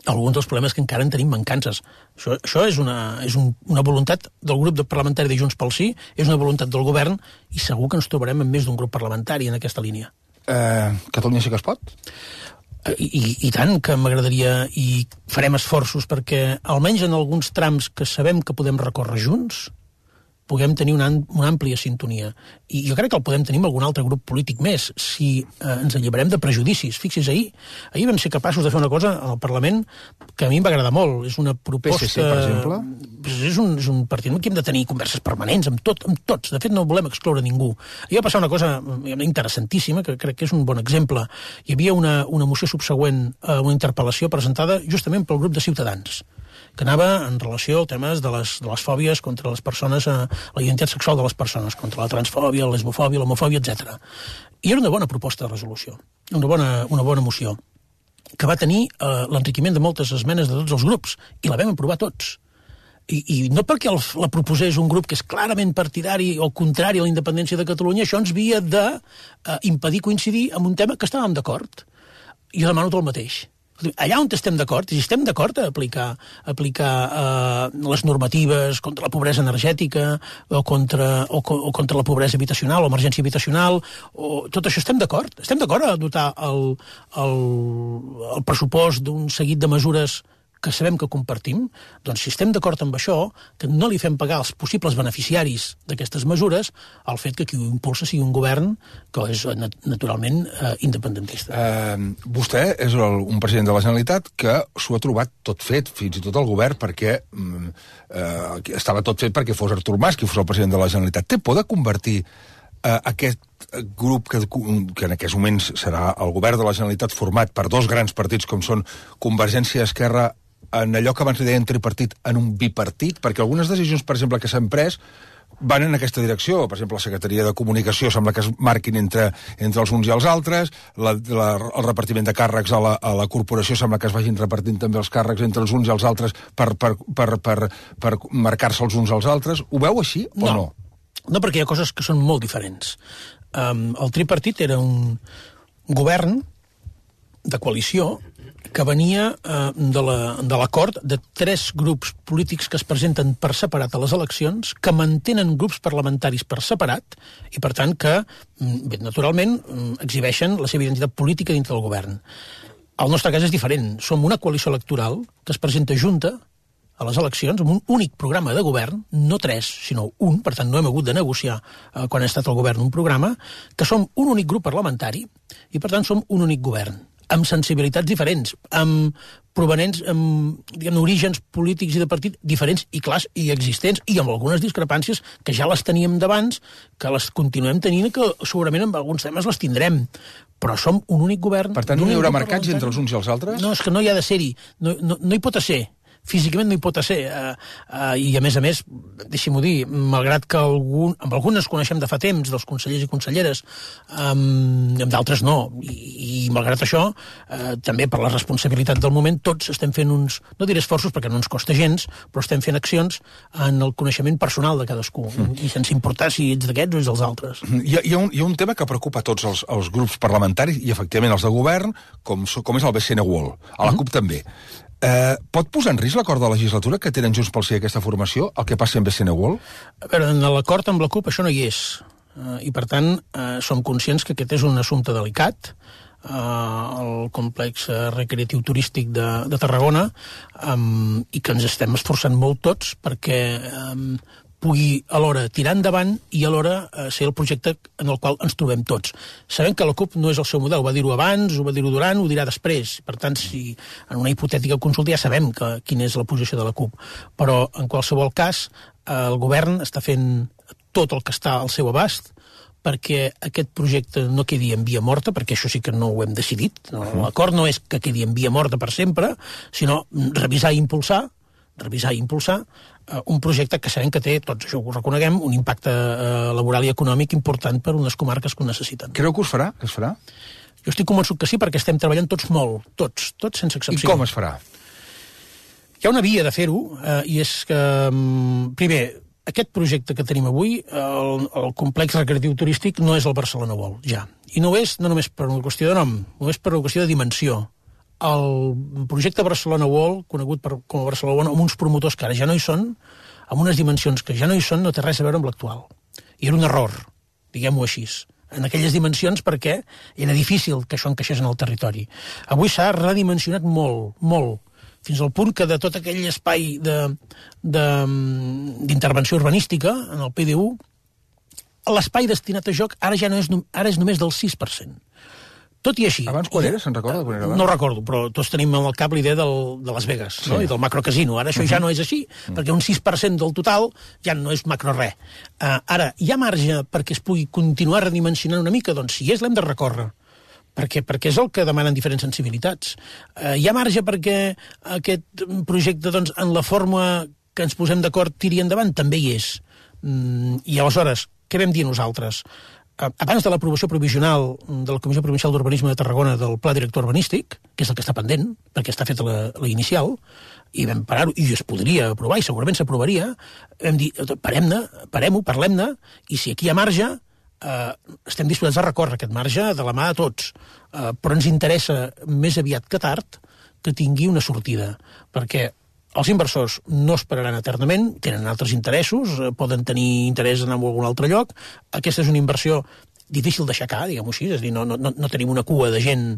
alguns dels problemes que encara en tenim mancances. Això és una voluntat del grup parlamentari de Junts pel Sí, és una voluntat del govern, i segur que ens trobarem amb més d'un grup parlamentari en aquesta línia. Catalunya sí que es pot? I tant que m'agradaria, i farem esforços perquè, almenys en alguns trams que sabem que podem recórrer junts, puguem tenir una àmplia sintonia. I jo crec que el podem tenir amb algun altre grup polític més, si ens alliberem de prejudicis. Fixi's, ahir vam ser capaços de fer una cosa al Parlament que a mi em va agradar molt. És una proposta... PSC, per exemple? És un partit que hem de tenir converses permanents amb tots. De fet, no volem excloure ningú. Ahir va passar una cosa interessantíssima, que crec que és un bon exemple. Hi havia una moció subsegüent a una interpel·lació presentada justament pel grup de Ciutadans. que anava en relació a temes de les fòbies contra les persones, la identitat sexual de les persones, contra la transfòbia, la lesbofòbia, l'homofòbia, etc. I era una bona proposta de resolució, una bona moció, que va tenir l'enriquiment de moltes esmenes de tots els grups, i la vam aprovar tots. I no perquè la proposés un grup que és clarament partidari o contrari a la independència de Catalunya, això ens havia d'impedir coincidir en un tema que estàvem d'acord. Jo demano tot el mateix. Allà on estem d'acord, si estem d'acord a aplicar les normatives contra la pobresa energètica o contra la pobresa habitacional o emergència habitacional, tot això estem d'acord. Estem d'acord a dotar el pressupost d'un seguit de mesures que sabem que compartim. Doncs si estem d'acord amb això, que no li fem pagar als possibles beneficiaris d'aquestes mesures el fet que qui ho impulsa sigui un govern que és naturalment independentista. Vostè és un president de la Generalitat que s'ho ha trobat tot fet, fins i tot el govern, perquè estava tot fet perquè fos Artur Mas qui fos el president de la Generalitat. Té por de convertir aquest grup que en aquests moments serà el govern de la Generalitat format per dos grans partits com són Convergència i Esquerra, en allò que abans li deien tripartit, en un bipartit? Perquè algunes decisions, per exemple, que s'han pres van en aquesta direcció. Per exemple, la Secretaria de Comunicació sembla que es marquin entre els uns i els altres, el repartiment de càrrecs a la corporació sembla que es vagin repartint també els càrrecs entre els uns i els altres per marcar-se els uns als altres. Ho veu així o no? No, perquè hi ha coses que són molt diferents. El tripartit era un govern de coalició que venia de l'acord de 3 grups polítics que es presenten per separat a les eleccions, que mantenen grups parlamentaris per separat i, per tant, que, naturalment, exhibeixen la seva identitat política dintre del govern. El nostre cas és diferent. Som una coalició electoral que es presenta junta a les eleccions amb un únic programa de govern, no 3, sinó un, per tant no hem hagut de negociar quan ha estat el govern un programa, que som un únic grup parlamentari i, per tant, som un únic govern, amb sensibilitats diferents, amb provenents, amb orígens polítics i de partit diferents i clars i existents, i amb algunes discrepàncies que ja les teníem d'abans, que les continuem tenint i que segurament en alguns temes les tindrem. Però som un únic govern... Per tant, no hi haurà marcats entre els uns i els altres? No, és que no hi ha de ser-hi. No hi pot ser. Físicament no hi pot ser. I, a més, deixi-m'ho dir, malgrat que amb algunes coneixem de fa temps, dels consellers i conselleres, amb d'altres no. I malgrat això, també per la responsabilitat del moment, tots estem fent uns, no diré esforços perquè no ens costa gens, però estem fent accions en el coneixement personal de cadascú, i sense importar si ets d'aquests o ets dels altres. Hi ha un tema que preocupa tots els grups parlamentaris, i efectivament els de govern, com és el BCN World. A la CUP també. Pot posar en risc l'acord de legislatura que tenen Junts pel Sí aquesta formació, el que passi amb BCN World? A veure, en l'acord amb la CUP això no hi és. I, per tant, som conscients que aquest és un assumpte delicat, el complex recreatiu turístic de Tarragona, i que ens estem esforçant molt tots perquè pugui alhora tirar endavant i alhora ser el projecte en el qual ens trobem tots. Sabem que la CUP no és el seu model, ho va dir-ho abans, ho va dir-ho durant, ho dirà després. Per tant, si en una hipotètica consulta ja sabem quina és la posició de la CUP. Però, en qualsevol cas, el govern està fent tot el que està al seu abast perquè aquest projecte no quedi en via morta, perquè això sí que no ho hem decidit. L'acord no és que quedi en via morta per sempre, sinó revisar i impulsar un projecte que sabem que té, tots això ho reconeguem, un impacte laboral i econòmic important per unes comarques que ho necessiten. Creu que es farà? Jo estic convençut que sí, perquè estem treballant tots molt, tots sense excepció. I com es farà? Hi ha una via de fer-ho, i és que, primer, aquest projecte que tenim avui, el complex recreatiu turístic, no és el Barcelona World, ja. I no és no només per una qüestió de nom, no és per una qüestió de dimensió. El projecte Barcelona World, conegut com a Barcelona World, amb uns promotors que ara ja no hi són, amb unes dimensions que ja no hi són, no té res a veure amb l'actual. I era un error, diguem-ho així, en aquelles dimensions, perquè era difícil que això encaixés en el territori. Avui s'ha redimensionat molt, molt, fins al punt que de tot aquell espai d'intervenció urbanística en el PDU, l'espai destinat a joc ara és només del 6%. Tot i així... Abans quan era? Se'n recorda? No recordo, però tots tenim al cap l'idea de Las Vegas, no? I del macrocasino. Ara això ja no és així, perquè un 6% del total ja no és macro res. Ara, hi ha marge perquè es pugui continuar redimensionant una mica? Doncs si és, l'hem de recórrer. perquè és el que demanen diferents sensibilitats. Hi ha marge perquè aquest projecte, doncs, en la forma que ens posem d'acord tiri endavant? També hi és. I aleshores, què vam dir nosaltres? Abans de l'aprovació provisional de la Comissió Provincial d'Urbanisme de Tarragona del Pla Director Urbanístic, que és el que està pendent, perquè està feta la inicial, i vam parar-ho, i es podria aprovar, i segurament s'aprovaria, vam dir, parem-ho, parlem-ne, i si aquí hi ha marge, estem disposats a recórrer aquest marge de la mà de tots, però ens interessa més aviat que tard que tingui una sortida, perquè els inversors no esperaran eternament, tenen altres interessos, poden tenir interès en algun altre lloc. Aquesta és una inversió difícil d'aixecar, diguem-ho així, és a dir, no tenim una cua de gent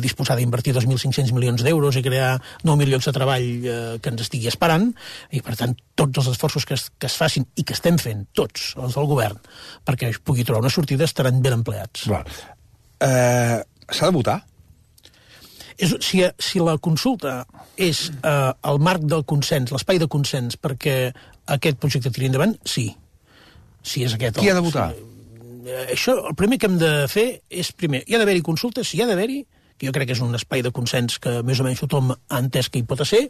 disposada a invertir 2.500 milions d'euros i crear 9.000 llocs de treball que ens estigui esperant, i per tant tots els esforços que es facin i que estem fent, tots els del govern, perquè es pugui trobar una sortida estaran ben empleats. S'ha de votar? Si la consulta és el marc del consens, l'espai de consens perquè aquest projecte tiri endavant, sí. Si és aquest. Qui ha de votar? Això, el primer que hem de fer és, primer, hi ha d'haver-hi consultes, si hi ha d'haver-hi, que jo crec que és un espai de consens que més o menys tothom ha entès que hi pot ser.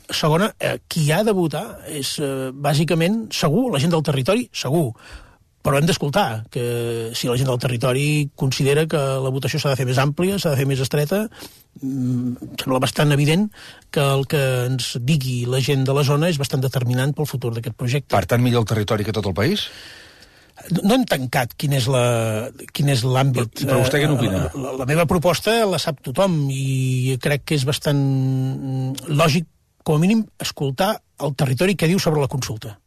Segona, qui ha de votar és, bàsicament, segur, la gent del territori, segur. Però hem d'escoltar que si la gent del territori considera que la votació s'ha de fer més àmplia, s'ha de fer més estreta, sembla bastant evident que el que ens digui la gent de la zona és bastant determinant pel futur d'aquest projecte. Per tant, millor el territori que tot el país? No hem tancat quin és l'àmbit. Però vostè què n'opina? La meva proposta la sap tothom i crec que és bastant lògic, com a mínim, escoltar el territori que diu sobre la consulta.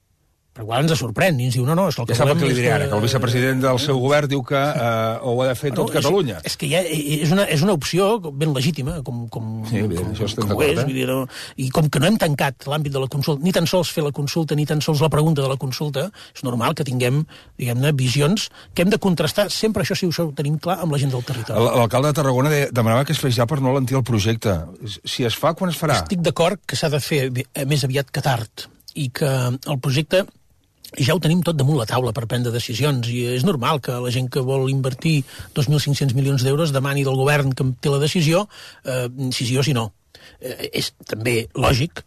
Però igual ens sorprèn i ens diu, no, és el que ja volem... Ja sap el que li diré ara, que el vicepresident del seu govern diu que ho ha de fer tot Catalunya. És que és una opció ben legítima, com això estem d'acord, i com que no hem tancat l'àmbit de la consulta, ni tan sols fer la consulta, ni tan sols la pregunta de la consulta, és normal que tinguem, diguem-ne, visions que hem de contrastar, sempre això sí ho tenim clar, amb la gent del territori. L'alcalde de Tarragona demanava que es fes ja per no alentir el projecte. Si es fa, quan es farà? Estic d'acord que s'ha de fer més aviat que tard, i que el projecte ja ho tenim tot damunt la taula per prendre decisions, i és normal que la gent que vol invertir 2.500 milions d'euros demani del govern que té la decisió, si sí o si no. És també lògic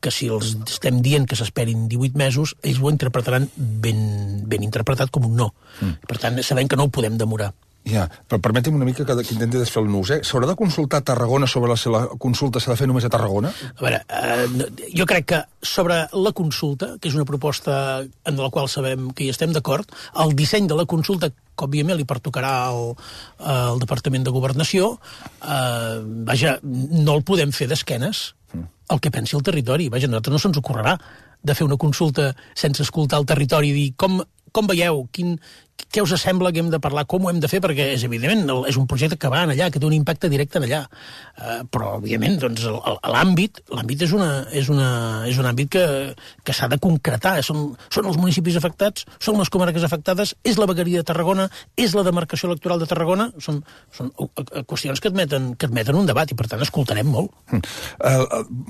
que si els estem dient que s'esperin 18 mesos, ells ho interpretaran ben interpretat com un no. Per tant, sabem que no ho podem demorar. Ja, però permeti'm una mica que intenti desfer el nus, S'haurà de consultar a Tarragona sobre si la consulta s'ha de fer només a Tarragona? A veure, jo crec que sobre la consulta, que és una proposta en la qual sabem que hi estem d'acord, el disseny de la consulta, que òbviament li pertocarà al Departament de Governació, vaja, no el podem fer d'esquenes el que pensi el territori. Vaja, a nosaltres no se'ns ocorrerà de fer una consulta sense escoltar el territori i dir com veieu, què us sembla que hem de parlar, com ho hem de fer, perquè és evidentment, és un projecte que va en allà, que té un impacte directe en allà. Però, òbviament, doncs, l'àmbit és un àmbit que s'ha de concretar. Són els municipis afectats, són les comarques afectades, és la vegueria de Tarragona, és la demarcació electoral de Tarragona, són qüestions que admeten un debat i, per tant, escoltarem molt.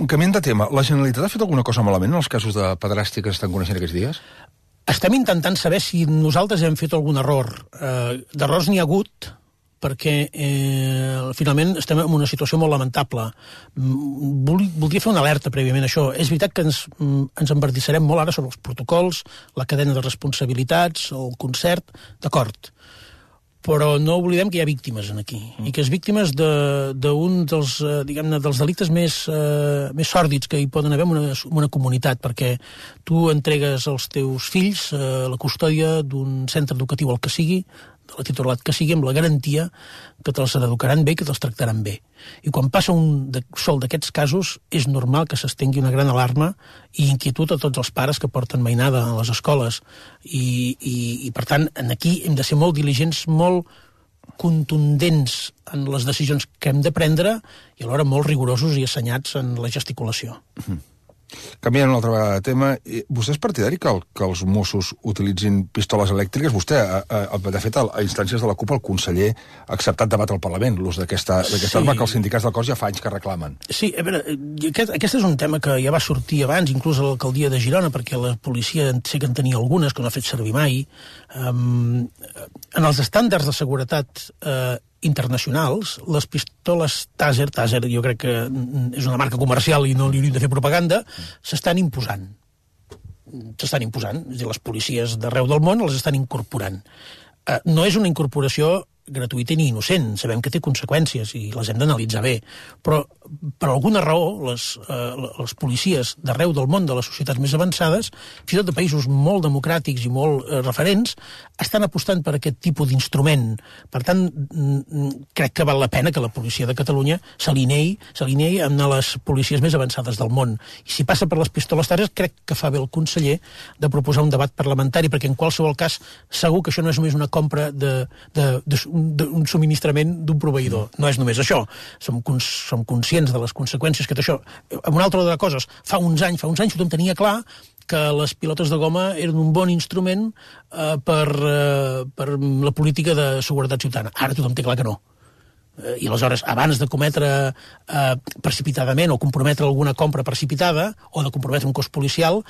Canviant de tema, la Generalitat ha fet alguna cosa malament en els casos de pederàstia que s'estan coneixent aquests dies? Estem intentant saber si nosaltres hem fet algun error. D'errors n'hi ha hagut, perquè finalment estem en una situació molt lamentable. Voldria fer una alerta prèviament a això. És veritat que ens embardissarem molt ara sobre els protocols, la cadena de responsabilitats, el concert, d'acord. Però no oblidem que hi ha víctimes aquí, i que és víctimes d'un dels, diguem-ne, dels delictes més sòrdids que hi poden haver en una comunitat, perquè tu entregues els teus fills a la custòdia d'un centre educatiu, el que sigui, de la titulat que sigui, amb la garantia que te'ls educaran bé i que te'ls tractaran bé. I quan passa un sol d'aquests casos, és normal que s'estengui una gran alarma i inquietud a tots els pares que porten mainada a les escoles. I per tant, aquí hem de ser molt diligents, molt contundents en les decisions que hem de prendre i alhora molt rigorosos i assenyats en la gesticulació. Canviant una altra vegada de tema, vostè és partidari que els Mossos utilitzin pistoles elèctriques? Vostè, de fet, a instàncies de la CUP, el conseller ha acceptat debatre al Parlament l'ús d'aquesta arma que els sindicats del cos ja fa anys que reclamen. Sí, a veure, aquest és un tema que ja va sortir abans, inclús a l'alcaldia de Girona, perquè la policia sé que en tenia algunes, que no ha fet servir mai. En els estàndards de seguretat internacionals, les pistoles Taser jo crec que és una marca comercial i no li hauríem de fer propaganda, s'estan imposant. És a dir, les policies d'arreu del món les estan incorporant. No és una incorporació gratuïta ni innocent, sabem que té conseqüències i les hem d'analitzar bé, però per alguna raó les policies d'arreu del món, de les societats més avançades, fins i tot de països molt democràtics i molt referents, estan apostant per aquest tipus d'instrument. Per tant, crec que val la pena que la policia de Catalunya s'alineï amb les policies més avançades del món. I si passa per les pistoles Taser, crec que fa bé el conseller de proposar un debat parlamentari, perquè en qualsevol cas segur que això no és només una compra d'un subministrament d'un proveïdor. No és només això. Som conscients de les conseqüències que té això. Amb una altra de coses, fa uns anys tothom tenia clar que les pilotes de goma eren un bon instrument per la política de seguretat ciutadana. Ara tothom té clar que no. I aleshores, abans de cometre precipitadament o comprometre alguna compra precipitada o de comprometre un cos policial,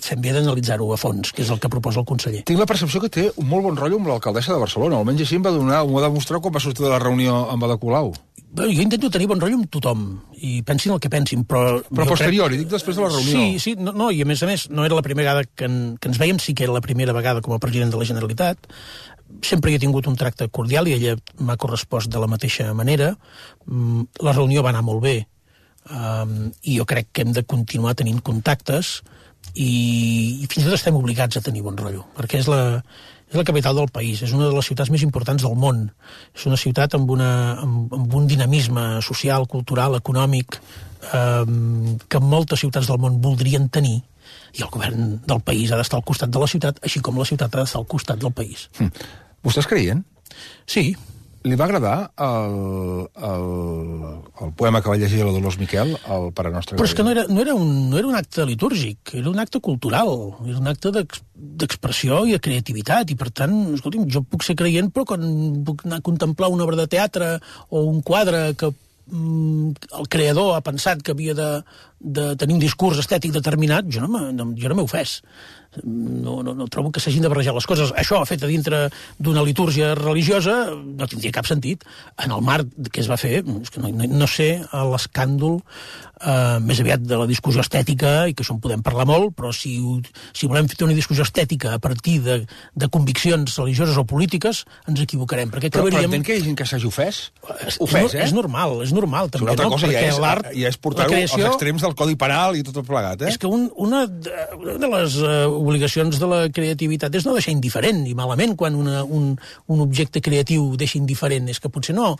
fem bé d'analitzar-ho a fons, que és el que proposa el conseller. Tinc la percepció que té un molt bon rotllo amb l'alcaldessa de Barcelona. Almenys així em va demostrar quan va sortir de la reunió amb Ada Colau. Bé, jo intento tenir bon rotllo amb tothom, i pensin el que pensin, però posterior, dic després de la reunió. Sí, no, i a més, no era la primera vegada que ens veiem, sí que era la primera vegada com a president de la Generalitat. Sempre he tingut un tracte cordial i ella m'ha correspost de la mateixa manera. La reunió va anar molt bé i jo crec que hem de continuar tenint contactes i fins i tot estem obligats a tenir bon rotllo, perquè és la capital del país, és una de les ciutats més importants del món, és una ciutat amb un dinamisme social, cultural, econòmic que moltes ciutats del món voldrien tenir, i el govern del país ha d'estar al costat de la ciutat, així com la ciutat ha d'estar al costat del país. Vostè és creient? Sí. Li va agradar el poema que va llegir la Dolors Miquel, el Pare Nostre? Però és que no era un acte litúrgic, era un acte cultural, era un acte d'expressió i de creativitat, i per tant, escolti'm, jo puc ser creient, però quan puc anar a contemplar una obra de teatre o un quadre que el creador ha pensat que havia de tenir un discurs estètic determinat, jo no m'he ofès. No trobo que s'hagin de barrejar les coses. Això, fet a dintre d'una litúrgia religiosa, no tindria cap sentit. En el marc que es va fer, és que no sé l'escàndol més aviat de la discussió estètica, i que això en podem parlar molt, però si volem fer una discussió estètica a partir de conviccions religioses o polítiques, ens equivocarem. Però entenc que hi ha gent que s'hagi ofès? És normal, també. Una altra cosa ja és portar-ho als extrems del Codi Penal i tot plegat, eh? És que una de les obligacions de la creativitat és no deixar indiferent, i malament quan un objecte creatiu deixa indiferent, és que potser no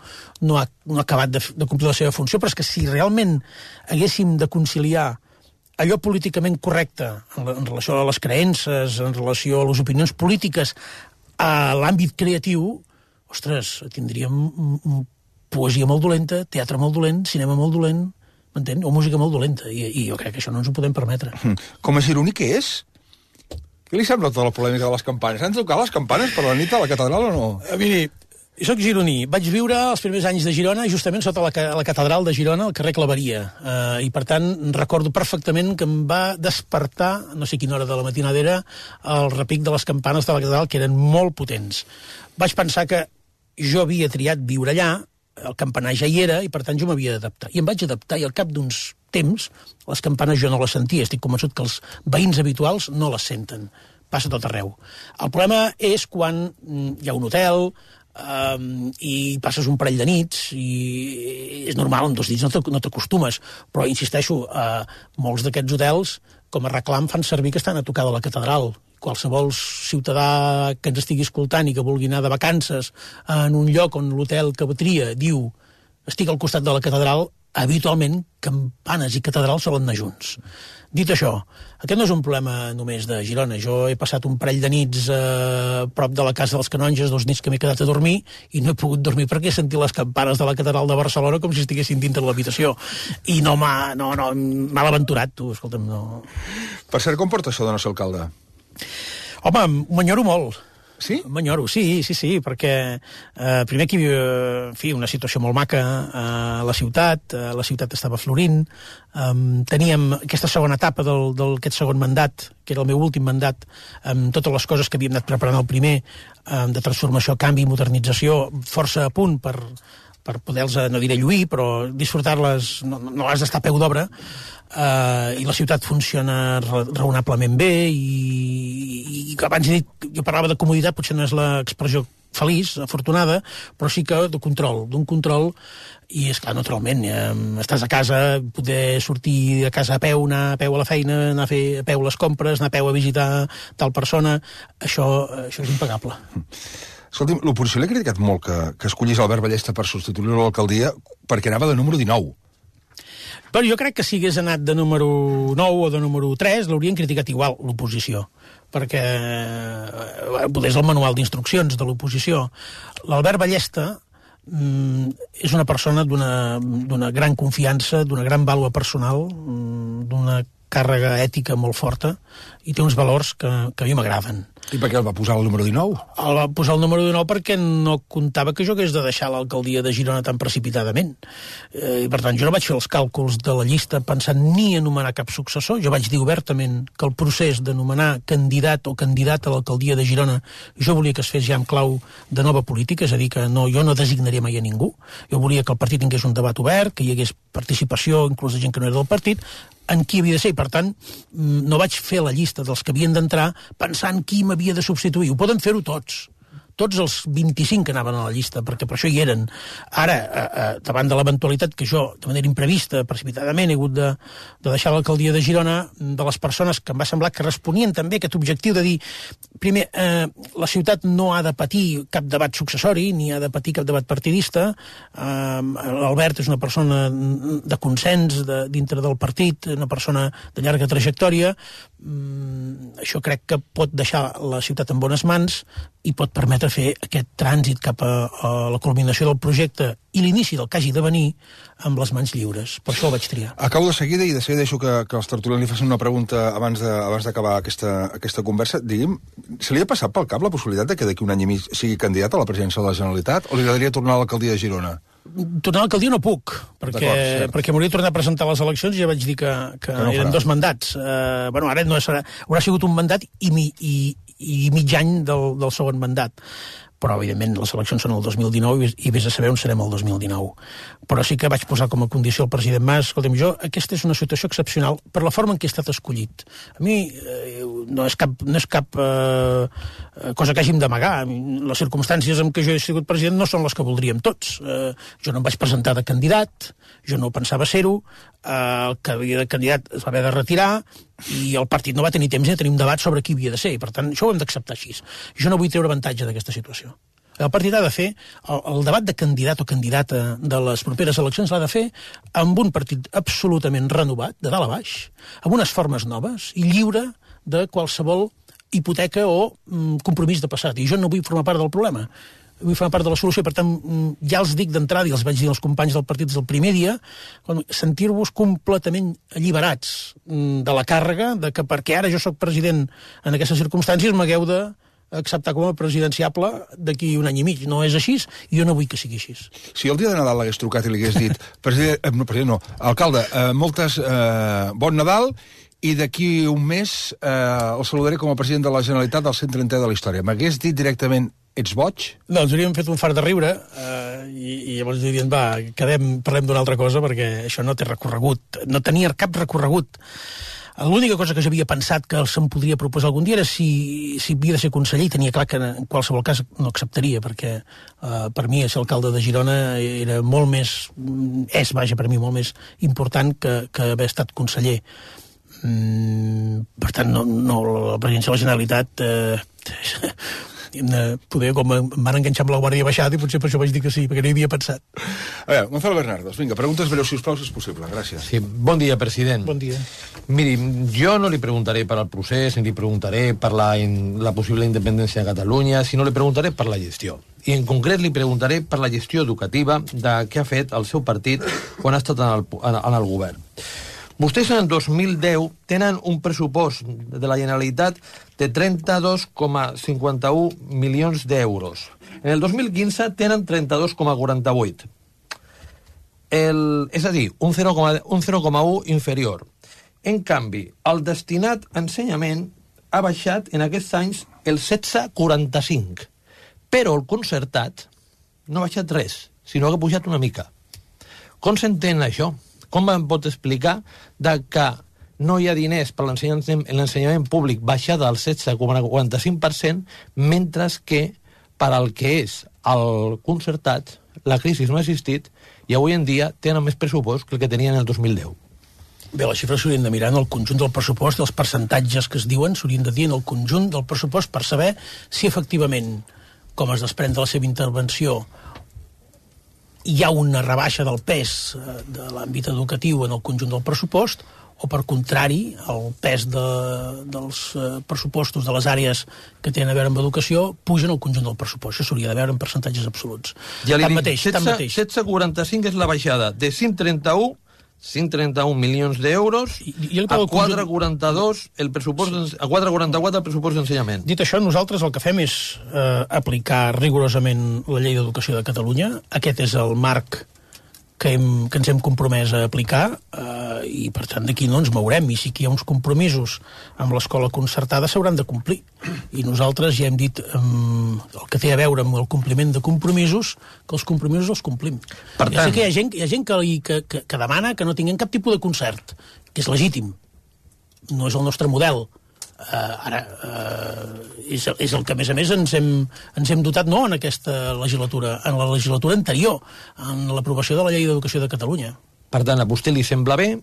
ha acabat de complir la seva funció, però és que si realment haguéssim de conciliar allò políticament correcte en relació a les creences, en relació a les opinions polítiques, a l'àmbit creatiu, ostres, tindríem poesia molt dolenta, teatre molt dolent, cinema molt dolent, m'entén? O música molt dolenta, i jo crec que això no ens ho podem permetre. Com a gironí, què és? Què li sembla tota la polèmica de les campanes? Han tocat les campanes per la nit a la catedral o no? Miri, jo soc gironí. Vaig viure els primers anys de Girona justament sota la catedral de Girona, al carrer Claveria. I, per tant, recordo perfectament que em va despertar, no sé quina hora de la matinada era, el repic de les campanes de la catedral, que eren molt potents. Vaig pensar que jo havia triat viure allà, el campanar ja hi era, i per tant jo m'havia d'adaptar. I em vaig adaptar, i al cap d'uns temps les campanes jo no les sentia. Estic convençut que els veïns habituals no les senten. Passa tot arreu. El problema és quan hi ha un hotel i passes un parell de nits, i és normal, en 2 nits no t'acostumes, però insisteixo, molts d'aquests hotels com a reclam fan servir que estan a tocar de la catedral. Qualsevol ciutadà que ens estigui escoltant i que vulgui anar de vacances en un lloc on l'hotel que tria diu estic al costat de la catedral, habitualment campanes i catedral solen anar junts. Dit això, aquest no és un problema només de Girona. Jo he passat un parell de nits a prop de la casa dels Canonges, 2 nits que m'he quedat a dormir, i no he pogut dormir perquè he sentit les campanes de la catedral de Barcelona com si estiguessin dintre l'habitació. I no m'ha l'aventurat, tu, escolta'm, no. Per cert, com porta això de no ser alcalde? Home, m'enyoro molt. Sí? M'enyoro, sí, perquè primer aquí hi havia una situació molt maca a la ciutat estava florint, teníem aquesta segona etapa d'aquest segon mandat, que era el meu últim mandat, amb totes les coses que havíem anat preparant el primer, de transformació, canvi, modernització, força a punt per poder-los, no diré lluir, però disfrutar-les, no has d'estar a peu d'obra, i la ciutat funciona raonablement bé, i abans he dit, jo parlava de comoditat, potser no és l'expressió feliç, afortunada, però sí que d'un control, i és clar, naturalment, estàs a casa, poder sortir a casa a peu, anar a peu a la feina, anar a fer a peu les compres, anar a peu a visitar tal persona, això és impagable. Escolti'm, l'oposició l'ha criticat molt que escollís Albert Ballesta per substituir l'alcaldia perquè anava de número 19. Però jo crec que si hagués anat de número 9 o de número 3 l'haurien criticat igual, l'oposició, perquè és el manual d'instruccions de l'oposició. L'Albert Ballesta és una persona d'una gran confiança, d'una gran vàlua personal, d'una càrrega ètica molt forta, i té uns valors que a mi m'agraden. I per què el va posar el número 19? El va posar el número 19 perquè no comptava que jo hagués de deixar l'alcaldia de Girona tan precipitadament. I per tant, jo no vaig fer els càlculs de la llista pensant ni a nomenar cap successor. Jo vaig dir obertament que el procés de nomenar candidat o candidata a l'alcaldia de Girona jo volia que es fes ja amb clau de nova política, és a dir, que jo no designaria mai a ningú. Jo volia que el partit tingués un debat obert, que hi hagués participació, inclús de gent que no era del partit, en qui havia de ser, i per tant no vaig fer la llista dels que havien d'entrar pensant qui m'havia de substituir. Ho poden fer-ho tots els 25 que anaven a la llista, perquè per això hi eren. Ara, davant de l'eventualitat que jo, de manera imprevista, precipitadament, he hagut de deixar l'alcaldia de Girona, de les persones que em va semblar que responien també a aquest objectiu de dir, primer, la ciutat no ha de patir cap debat successori, ni ha de patir cap debat partidista. L'Albert és una persona de consens dintre del partit, una persona de llarga trajectòria. Això crec que pot deixar la ciutat en bones mans i pot permetre fer aquest trànsit cap a la culminació del projecte i l'inici del que hagi de venir amb les mans lliures. Per això el vaig triar. Acabo de seguida i de seguida deixo que els tertulians li facin una pregunta abans d'acabar aquesta conversa. Digui'm, se li ha passat pel cap la possibilitat de que d'aquí un any i mig sigui candidat a la presidència de la Generalitat o li agradaria tornar a l'alcaldia de Girona? Tornar a l'alcaldia no puc, perquè m'hauria de tornar a presentar les eleccions i ja vaig dir que no eren 2 mandats. Ara no serà, haurà sigut un mandat i mig any del segon mandat. Però, evidentment, les eleccions són el 2019 i vés a saber on serem el 2019. Però sí que vaig posar com a condició al president Mas, escolta'm, aquesta és una situació excepcional per la forma en què he estat escollit. A mi no és cap cosa que hàgim d'amagar. Les circumstàncies en què jo he sigut president no són les que voldríem tots. Jo no em vaig presentar de candidat, jo no pensava ser-ho, el que havia de candidat es va haver de retirar i el partit no va tenir temps de tenir un debat sobre qui havia de ser, i per tant això ho hem d'acceptar així. Jo no vull treure avantatge d'aquesta situació. El partit ha de fer, el debat de candidat o candidata de les properes eleccions l'ha de fer amb un partit absolutament renovat, de dalt a baix, amb unes formes noves i lliure de qualsevol hipoteca o compromís de passat. I jo no vull formar part del problema, vull formar part de la solució. Per tant, ja els dic d'entrada, i els vaig dir als companys del partit des del primer dia, sentir-vos completament alliberats de la càrrega, de que perquè ara jo sóc president en aquestes circumstàncies m'hagueu d'acceptar com a presidenciable d'aquí un any i mig. No és així, i jo no vull que sigui així. Si el dia de Nadal l'hagués trucat i li hagués dit alcalde, bon Nadal, i d'aquí un mes el saludaré com a president de la Generalitat del 130è de la història. M'hagués dit directament, ets boig? No, ens hauríem fet un fart de riure i llavors dirien, parlem d'una altra cosa perquè això no té recorregut, no tenia cap recorregut. L'única cosa que jo havia pensat que se'm podria proposar algun dia era si havia de ser conseller, i tenia clar que en qualsevol cas no acceptaria, perquè per mi ser alcalde de Girona era molt més, per mi molt més important que haver estat conseller. Per tant, no la presidència de la Generalitat poder, com em van enganxar amb la Guàrdia Baixada, i potser per això vaig dir que sí, perquè no hi havia pensat. A veure, Gonzalo Bernardos, vinga, preguntes breus, si us plau, si és possible. Gràcies. Sí, bon dia, president. Bon dia. Miri, jo no li preguntaré per al procés, ni li preguntaré per la possible independència de Catalunya, sinó li preguntaré per la gestió. I en concret li preguntaré per la gestió educativa de què ha fet el seu partit quan ha estat en el govern. Vostès en el 2010 tenen un pressupost de la Generalitat de 32,51 milions d'euros. En el 2015 tenen 32,48. És a dir, un 0,1 inferior. En canvi, el destinat a ensenyament ha baixat en aquests anys el 16,45. Però el concertat no ha baixat res, sinó que ha pujat una mica. Com s'entén això? Com em pot explicar que no hi ha diners per l'ensenyament públic baixada al 16,45%, mentre que per al que és el concertat la crisi no ha existit i avui en dia tenen més pressupost que el que tenien el 2010. Bé, les xifres s'haurien de mirar en el conjunt del pressupost, els percentatges que es diuen s'haurien de dir en el conjunt del pressupost per saber si efectivament, com es desprèn de la seva intervenció, hi ha una rebaixa del pes de l'àmbit educatiu en el conjunt del pressupost, o per contrari, el pes dels pressupostos de les àrees que tenen a veure amb educació pugen al conjunt del pressupost. Això s'hauria de veure en percentatges absoluts. Ja li dic, 16,45 és la baixada de 131 milions d'euros a 4,42 el pressupost, a 4,44 el pressupost d'ensenyament. Dit això, nosaltres el que fem és aplicar rigorosament la llei d'educació de Catalunya. Aquest és el marc que ens hem compromès a aplicar i per tant d'aquí no ens mourem, i sí que hi ha uns compromisos amb l'escola concertada s'hauran de complir, i nosaltres ja hem dit el que té a veure amb el compliment de compromisos, que els compromisos els complim. Per tant, ja sé que hi ha gent que demana que no tinguem cap tipus de concert, que és legítim, no és el nostre model. És el que a més ens hem dotat no en aquesta legislatura, en la legislatura anterior, en l'aprovació de la llei d'educació de Catalunya. Per tant, a vostè li sembla bé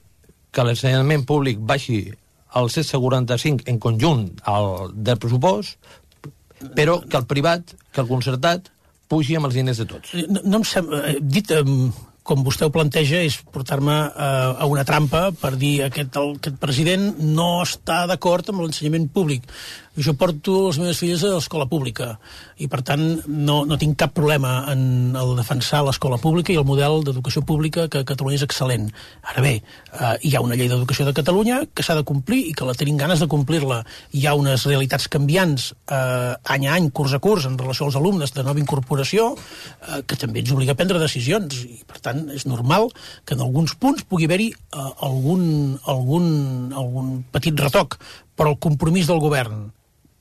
que l'ensenyament públic baixi al 16,45 en conjunt del pressupost, però que el privat, que el concertat, pugi amb els diners de tots. No em sembla... Dit com vostè ho planteja, és portar-me a una trampa per dir que aquest president no està d'acord amb l'ensenyament públic. Jo porto les meves filles a l'escola pública i, per tant, no tinc cap problema en el defensar l'escola pública i el model d'educació pública, que a Catalunya és excel·lent. Ara bé, hi ha una llei d'educació de Catalunya que s'ha de complir i que la tenim ganes de complir-la. Hi ha unes realitats canviants any a any, curs a curs, en relació als alumnes de nova incorporació, que també ens obliga a prendre decisions i, per tant, és normal que en alguns punts pugui haver-hi algun petit retoc, però el compromís del govern,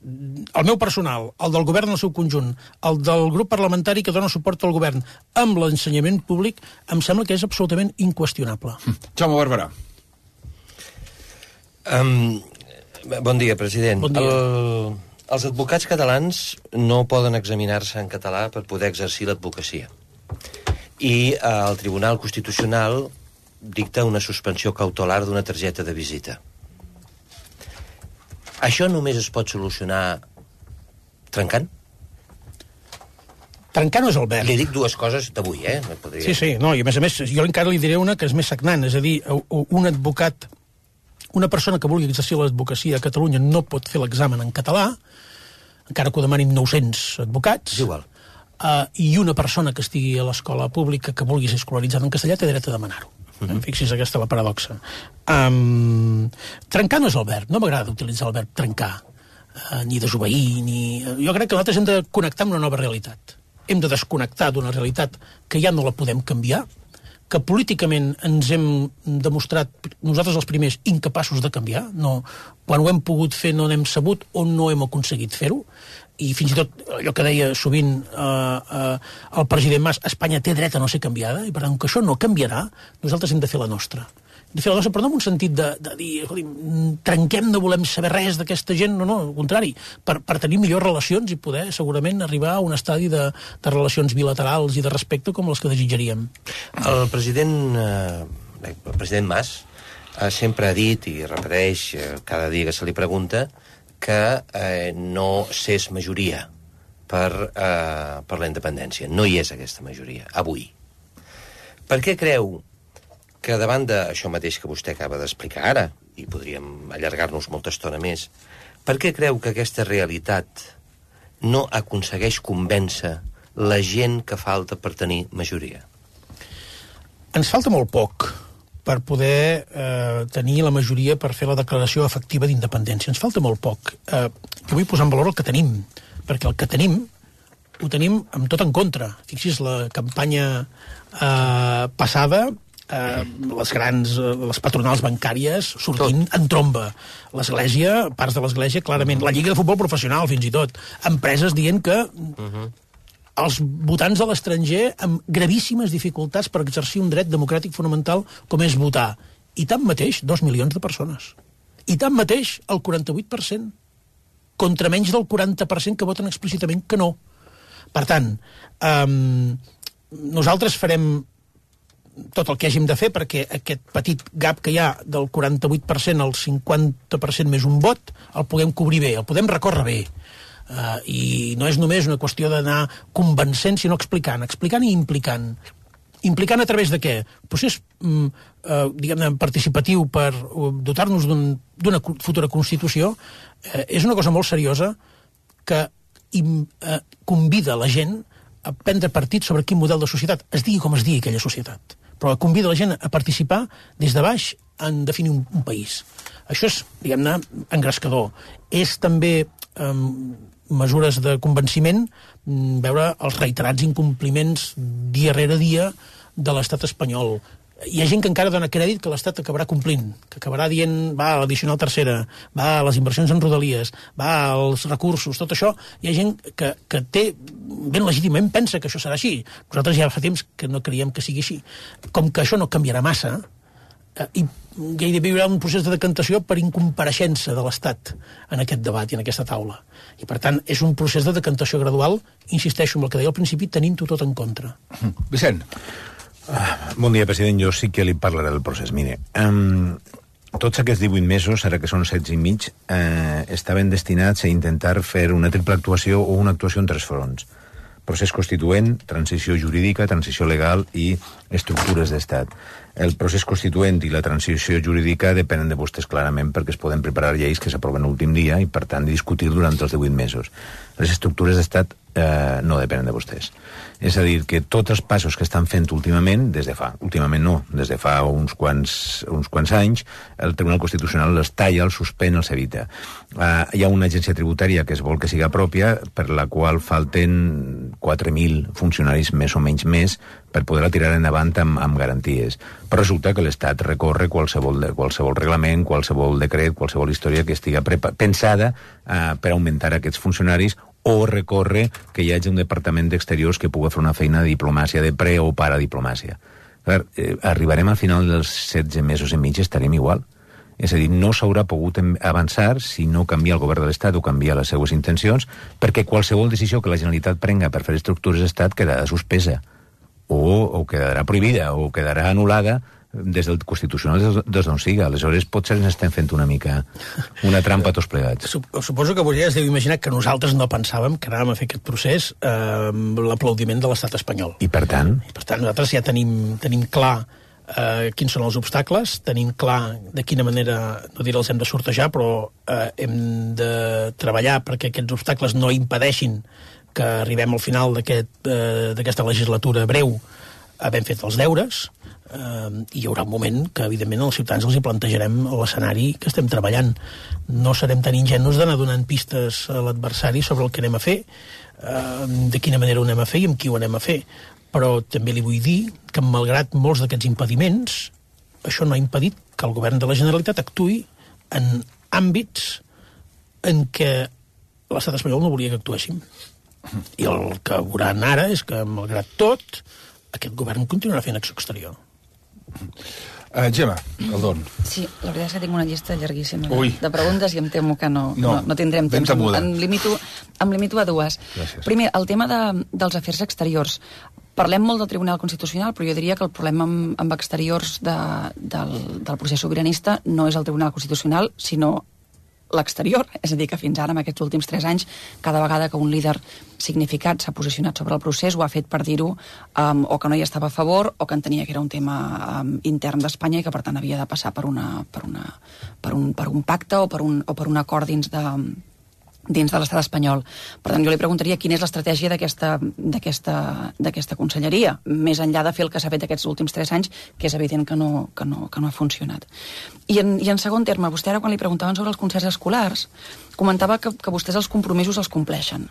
el meu personal, el del govern en el seu conjunt, el del grup parlamentari que dona suport al govern amb l'ensenyament públic, em sembla que és absolutament inqüestionable. Jaume Barberà. Bon dia, president. Bon dia. Els advocats catalans no poden examinar-se en català per poder exercir l'advocacia. I el Tribunal Constitucional dicta una suspensió cautelar d'una targeta de visita. Això només es pot solucionar trencant? Trencar no és el verb. Li dic dues coses d'avui, Sí, no, i a més, jo encara li diré una que és més sagnant, és a dir, un advocat, una persona que vulgui exercir l'advocacia a Catalunya no pot fer l'examen en català, encara que ho demanin 900 advocats. És igual. I una persona que estigui a l'escola pública que vulgui ser escolaritzada en castellà té dret a demanar-ho. Fixi's, aquesta la paradoxa. Trencar no és el verb, no m'agrada utilitzar el verb trencar, ni desobeir, jo crec que nosaltres hem de connectar amb una nova realitat. Hem de desconnectar d'una realitat que ja no la podem canviar, que políticament ens hem demostrat, nosaltres els primers, incapaços de canviar. No, quan ho hem pogut fer no n'hem sabut o no hem aconseguit fer-ho, i fins i tot allò que deia sovint el president Mas, Espanya té dret a no ser canviada, i per tant que això no canviarà, nosaltres hem de fer la nostra. Hem de fer la nostra, però no en un sentit de dir, trenquem, no volem saber res d'aquesta gent, no, al contrari, per tenir millors relacions i poder segurament arribar a un estadi de relacions bilaterals i de respecte com les que desitjaríem. El president Mas sempre ha dit, i repeteix cada dia que se li pregunta, que no s'és majoria per la independència. No hi és aquesta majoria, avui. Per què creu que davant d'això mateix que vostè acaba d'explicar ara, i podríem allargar-nos molta estona més, per què creu que aquesta realitat no aconsegueix convèncer la gent que falta per tenir majoria? Ens falta molt poc per poder tenir la majoria per fer la declaració efectiva d'independència. Ens falta molt poc. Jo vull posar en valor el que tenim, perquè el que tenim ho tenim amb tot en contra. Fixi's, la campanya passada, les patronals bancàries sortint en tromba. L'Església, parts de l'Església, clarament. La Lliga de Futbol Professional, fins i tot. Empreses dient que els votants de l'estranger amb gravíssimes dificultats per exercir un dret democràtic fonamental com és votar. I tanmateix, 2 milions de persones. I tanmateix, el 48%. Contra menys del 40% que voten explícitament que no. Per tant, nosaltres farem tot el que hàgim de fer perquè aquest petit gap que hi ha del 48% al 50% més un vot el puguem cobrir bé, el podem recórrer bé. I no és només una qüestió d'anar convencent, sinó explicant i implicant. Implicant a través de què? Procés, diguem-ne, participatiu per dotar-nos d'una futura Constitució és una cosa molt seriosa que convida la gent a prendre partit sobre quin model de societat, es digui com es digui aquella societat, però convida la gent a participar des de baix en definir un país. Això és, diguem-ne, engrescador. És també mesures de convenciment veure els reiterats incompliments dia rere dia de l'estat espanyol. Hi ha gent que encara dona crèdit que l'Estat acabarà complint, que acabarà dient, va, a l'addicional tercera, va, a les inversions en rodalies, va, als recursos, tot això. Hi ha gent que té, ben legítimament, pensa que això serà així. Nosaltres ja fa temps que no creiem que sigui així. Com que això no canviarà massa, i gairebé hi haurà un procés de decantació per incompareixença de l'Estat en aquest debat i en aquesta taula. I, per tant, és un procés de decantació gradual, insisteixo en el que deia al principi, tenint-ho tot en contra. Vicent. Bon dia, president. Jo sí que li parlaré del procés. Mire, tots aquests 18 mesos, ara que són 16 i mig, estaven destinats a intentar fer una triple actuació o una actuació en 3 fronts. Procés constituent, transició jurídica, transició legal i estructures d'estat. El procés constituent i la transició jurídica depenen de vostès clarament perquè es poden preparar lleis que s'aproven l'últim dia i, per tant, discutir durant els 18 mesos. Les estructures d'estat no depenen de vostès. És a dir, que tots els passos que estan fent últimament, des de fa uns quants anys, el Tribunal Constitucional els talla, els suspèn, els evita. Hi ha una agència tributària que es vol que siga pròpia, per la qual falten 4.000 funcionaris més o menys més per poder-la tirar endavant amb garanties. Però resulta que l'Estat recorre qualsevol reglament, qualsevol decret, qualsevol història que estigui pensada per augmentar aquests funcionaris, o recorre que hi hagi un departament d'exteriors que pugui fer una feina de diplomàcia, de pre- o paradiplomàcia. Arribarem al final dels 16 mesos i mig, estarem igual. És a dir, no s'haurà pogut avançar si no canvia el govern de l'Estat o canvia les seues intencions, perquè qualsevol decisió que la Generalitat prenga per fer estructures d'Estat quedarà suspesa, o quedarà prohibida, o quedarà anul·lada des del Constitucional des d'on siga. Aleshores, potser ens estem fent una mica una trampa tots plegats. Suposo que vostè es deu imaginar que nosaltres no pensàvem que anàvem a fer aquest procés amb l'aplaudiment de l'estat espanyol. I per tant? Nosaltres ja tenim clar quins són els obstacles, tenim clar de quina manera, no diré els hem de sortejar, però hem de treballar perquè aquests obstacles no impedeixin que arribem al final d'aquesta legislatura breu havent fet els deures, i hi haurà un moment que, evidentment, als ciutadans els hi plantejarem l'escenari que estem treballant. No serem tan ingenus d'anar donant pistes a l'adversari sobre el que anem a fer, de quina manera ho anem a fer i amb qui ho anem a fer. Però també li vull dir que, malgrat molts d'aquests impediments, això no ha impedit que el govern de la Generalitat actuï en àmbits en què l'estat espanyol no volia que actuéssim. I el que veuran ara és que, malgrat tot, aquest govern continuarà fent acció exterior. Gemma Caldón. Sí, la veritat és que tinc una llista llarguíssima de preguntes i em temo que no tindrem temps. Em limito a 2. Gràcies. Primer, el tema dels afers exteriors. Parlem molt del Tribunal Constitucional, però jo diria que el problema amb exteriors del procés sobiranista no és el Tribunal Constitucional, sinó l'exterior. És a dir, que fins ara, en aquests últims 3 anys, cada vegada que un líder significat s'ha posicionat sobre el procés, ho ha fet per dir-ho o que no hi estava a favor o que entenia que era un tema intern d'Espanya i que, per tant, havia de passar per un pacte o per un acord dins dins de l'estat espanyol. Per tant, jo li preguntaria quina és l'estratègia d'aquesta conselleria, més enllà de fer el que s'ha fet aquests últims 3 anys, que és evident que no ha funcionat. I en segon terme, vostè ara quan li preguntaven sobre els concerts escolars, comentava que vostès els compromisos els compleixen.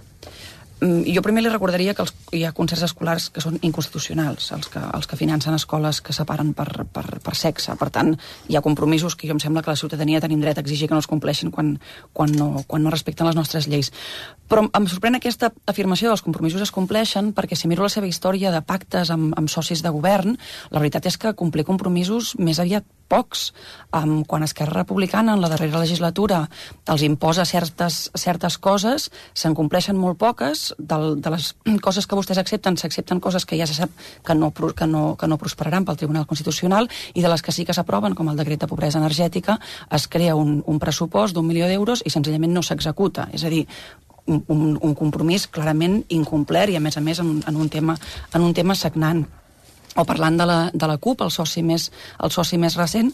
Jo primer li recordaria que hi ha concerts escolars que són inconstitucionals, els que financen escoles que separen per sexe. Per tant, hi ha compromisos que jo em sembla que la ciutadania tenim dret a exigir que no els compleixin quan no respecten les nostres lleis. Però em sorprèn aquesta afirmació dels compromisos es compleixen, perquè si miro la seva història de pactes amb socis de govern, la veritat és que complir compromisos més aviat pocs. Quan Esquerra Republicana en la darrera legislatura els imposa certes coses, se'n compleixen molt poques. De les coses que vostès accepten, s'accepten coses que ja se sap que no prosperaran pel Tribunal Constitucional, i de les que sí que s'aproven, com el decret de pobresa energètica, es crea un pressupost d'1 milió d'euros i senzillament no s'executa. És a dir, un compromís clarament incomplert i a més en un tema sagnant. O parlant de la CUP, el soci més recent,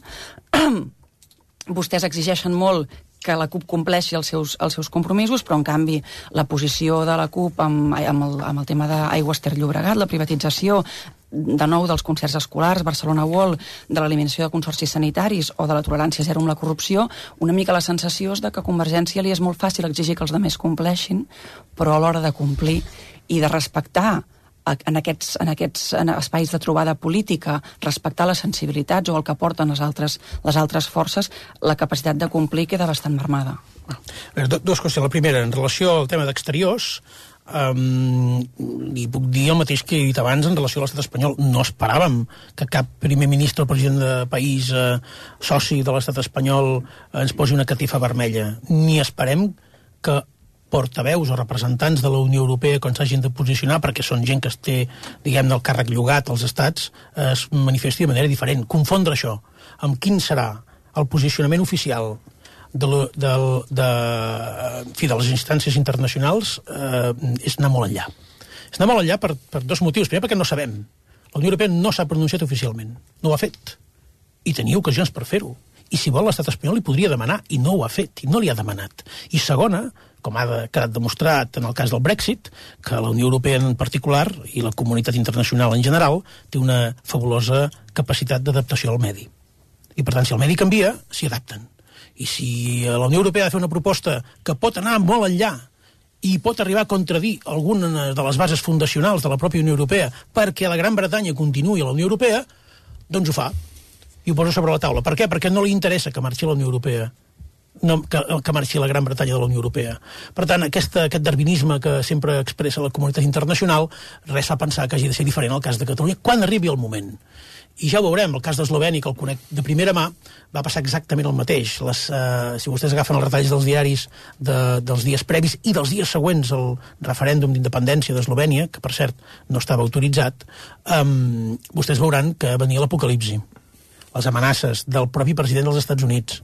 vostès exigeixen molt que la CUP compleixi els seus compromisos, però en canvi la posició de la CUP amb el tema d'Aigües Ter Llobregat, la privatització de nou dels concerts escolars, Barcelona World, de l'eliminació de consorcis sanitaris o de la tolerància zero amb la corrupció, una mica la sensació és que a Convergència li és molt fàcil exigir que els altres compleixin, però a l'hora de complir i de respectar en aquests espais de trobada política, respectar les sensibilitats o el que porten les altres forces, la capacitat de complir queda bastant marmada. Dues qüestions. La primera, en relació al tema d'exteriors, li puc dir el mateix que he dit abans en relació a l'estat espanyol. No esperàvem que cap primer ministre o president de país soci de l'estat espanyol ens posi una catifa vermella. Ni esperem que portaveus o representants de la Unió Europea, quan s'hagin de posicionar, perquè són gent que es té, diguem-ne, el càrrec llogat als estats, es manifesti de manera diferent. Confondre això amb quin serà el posicionament oficial de les instàncies internacionals és anar molt enllà. És anar molt enllà per dos motius. Primer, perquè no sabem. La Unió Europea no s'ha pronunciat oficialment. No ho ha fet. I tenia ocasions per fer-ho. I si vol l'estat espanyol li podria demanar, i no ho ha fet, i no li ha demanat. I segona, com ha quedat demostrat en el cas del Brexit, que la Unió Europea en particular i la comunitat internacional en general té una fabulosa capacitat d'adaptació al medi. I per tant, si el medi canvia, s'hi adapten. I si la Unió Europea ha de fer una proposta que pot anar molt enllà i pot arribar a contradir alguna de les bases fundacionals de la pròpia Unió Europea perquè la Gran Bretanya continuï a la Unió Europea, doncs ho fa. I ho posa sobre la taula. Per què? Perquè no li interessa que marxi la Unió Europea, que marxi la Gran Bretanya de la Unió Europea. Per tant, aquest darwinisme que sempre expressa la comunitat internacional, res fa pensar que hagi de ser diferent al cas de Catalunya quan arribi el moment. I ja ho veurem, el cas d'Eslovènia, que el conec de primera mà, va passar exactament el mateix. Si vostès agafen els retalls dels diaris dels dies previs i dels dies següents al referèndum d'independència d'Eslovènia, que per cert no estava autoritzat, vostès veuran que venia l'apocalipsi. Les amenaces del propi president dels Estats Units.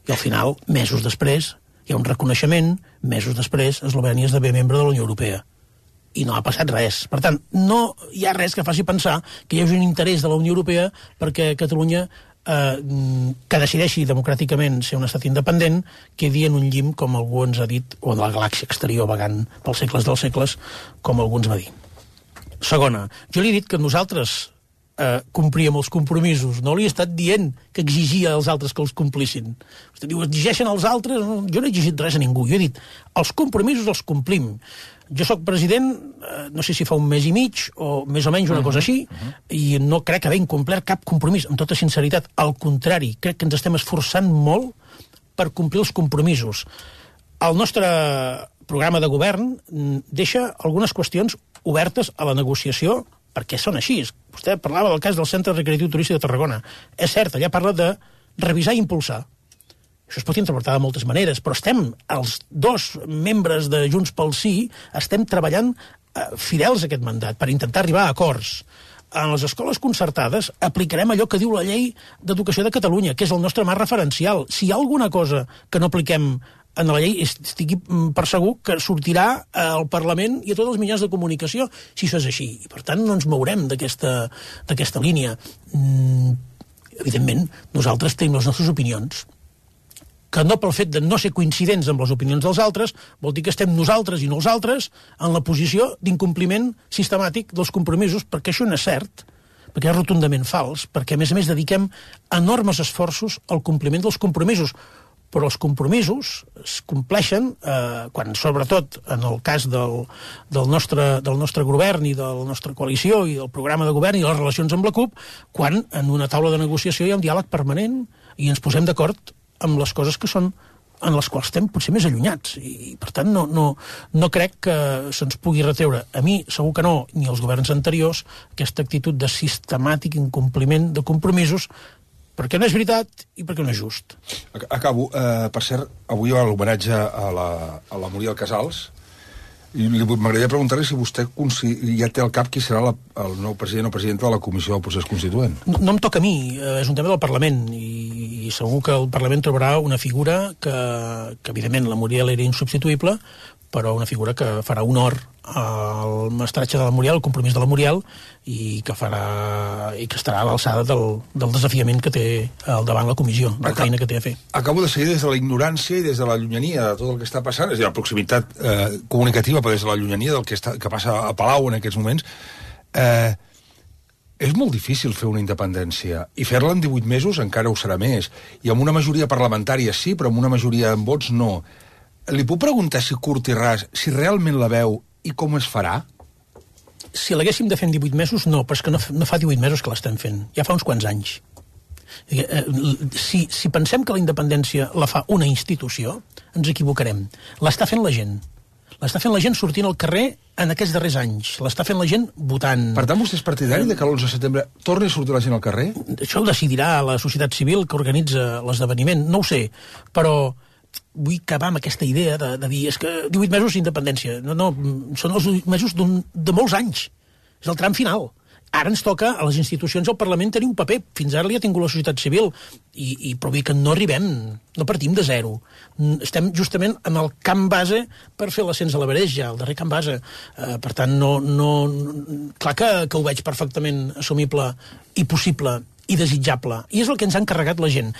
I al final, mesos després, hi ha un reconeixement, mesos després, Eslovènia esdevé membre de la Unió Europea. I no ha passat res. Per tant, no hi ha res que faci pensar que hi hagi un interès de la Unió Europea perquè Catalunya, que decideixi democràticament ser un estat independent, quedi en un llim, com algú ens ha dit, o en la galàxia exterior vagant pels segles dels segles, com algú ens va dir. Segona, jo li he dit que nosaltres compríem els compromisos. No li he estat dient que exigia als altres que els complissin. Vostè diu, exigeixen als altres? Jo no he exigit res a ningú. Jo he dit, els compromisos els complim. Jo sóc president, no sé si fa un mes i mig, o més o menys una cosa així, i no crec haver incomplert cap compromís, amb tota sinceritat. Al contrari, crec que ens estem esforçant molt per complir els compromisos. El nostre programa de govern deixa algunes qüestions obertes a la negociació, perquè són així. Vostè parlava del cas del Centre Recreatiu Turístic de Tarragona. És cert, allà parla de revisar i impulsar. Això es pot interpretar de moltes maneres, però els dos membres de Junts pel Sí, estem treballant fidels a aquest mandat per intentar arribar a acords. En les escoles concertades aplicarem allò que diu la Llei d'Educació de Catalunya, que és el nostre marc referencial. Si hi ha alguna cosa que no apliquem en la llei, estigui per segur que sortirà al Parlament i a tots els mitjans de comunicació, si això és així. I per tant no ens mourem d'aquesta línia. Evidentment, nosaltres tenim les nostres opinions, que no pel fet de no ser coincidents amb les opinions dels altres, vol dir que estem nosaltres i no els altres en la posició d'incompliment sistemàtic dels compromisos, perquè això no és cert, perquè és rotundament fals, perquè a més dediquem enormes esforços al compliment dels compromisos, però els compromisos es compleixen quan, sobretot, en el cas del nostre govern i de la nostra coalició i del programa de govern i les relacions amb la CUP, quan en una taula de negociació hi ha un diàleg permanent i ens posem d'acord amb les coses que són en les quals estem potser més allunyats. I per tant, no crec que se'ns pugui retreure, a mi segur que no, ni als governs anteriors, aquesta actitud de sistemàtic incompliment de compromisos, perquè no és veritat i perquè no és just. Acabo. Per cert, avui hi ha l'homenatge a la Muriel Casals, i m'agradaria preguntar-li si vostè ja té al cap qui serà el nou president o presidenta de la Comissió del Procés Constituent. No em toca a mi, és un tema del Parlament, i segur que el Parlament trobarà una figura que evidentment, la Muriel era insubstituïble, però una figura que farà honor al mestratge de la Muriel, el compromís de la Muriel, i que estarà a l'alçada del desafiament que té al davant la comissió, de la feina que té a fer. Acabo de seguir des de la ignorància i des de la llunyania de tot el que està passant, és a dir, la proximitat comunicativa, però des de la llunyania del que passa a Palau en aquests moments. És molt difícil fer una independència, i fer-la en 18 mesos encara ho serà més, i amb una majoria parlamentària sí, però amb una majoria en vots no. Li puc preguntar si curt i ras, si realment la veu i com es farà? Si l'haguéssim de fer en 18 mesos, no, però és que no fa 18 mesos que l'estem fent, ja fa uns quants anys. Si pensem que la independència la fa una institució, ens equivocarem. L'està fent la gent. L'està fent la gent sortint al carrer en aquests darrers anys. L'està fent la gent votant. Per tant, vostè és partidari de que l'11 de setembre torni a sortir la gent al carrer? Això ho decidirà la societat civil que organitza l'esdeveniment. No ho sé, però vull acabar amb aquesta idea de dir és que 18 mesos d'independència. No, són els 18 mesos de molts anys. És el tram final. Ara ens toca a les institucions, al Parlament, tenir un paper. Fins ara li ha tingut la societat civil. Però vull que no arribem, no partim de zero. Estem justament en el camp base per fer l'ascens a l'Everest, ja, el darrer camp base. Per tant, clar que ho veig perfectament assumible i possible i desitjable. I és el que ens ha encarregat la gent.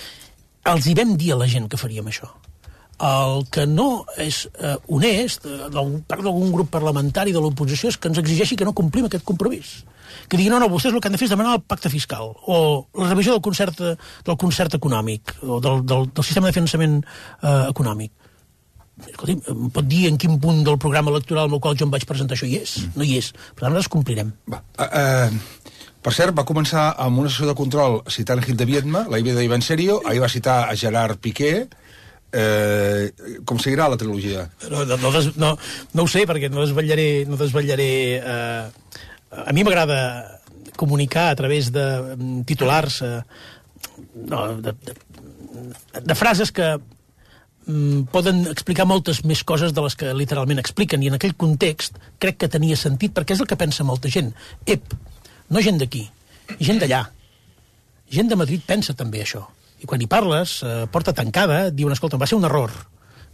Els hi vam dir a la gent que faríem això. El que no és honest, part d'algun grup parlamentari de l'oposició, és que ens exigeixi que no complim aquest compromís. Que diguin, no, vostès el que han de fer és demanar el pacte fiscal, o la revisió del concert econòmic, o del sistema de finançament econòmic. Escolti, em pot dir en quin punt del programa electoral amb el qual jo em vaig presentar això hi és? No hi és. Per tant, les complirem. Per cert, va començar amb una sessió de control citant Gil de Viedma, la vida d'Ivan Serio, ahir va citar a Gerard Piqué. Com seguirà la trilogia? No ho sé, perquè no desvetllaré a mi m'agrada comunicar a través de titulars de frases que poden explicar moltes més coses de les que literalment expliquen, i en aquell context crec que tenia sentit, perquè és el que pensa molta gent. No gent d'aquí, gent d'allà. Gent de Madrid pensa també això. I quan hi parles, porta tancada, diuen, escolta, va ser un error.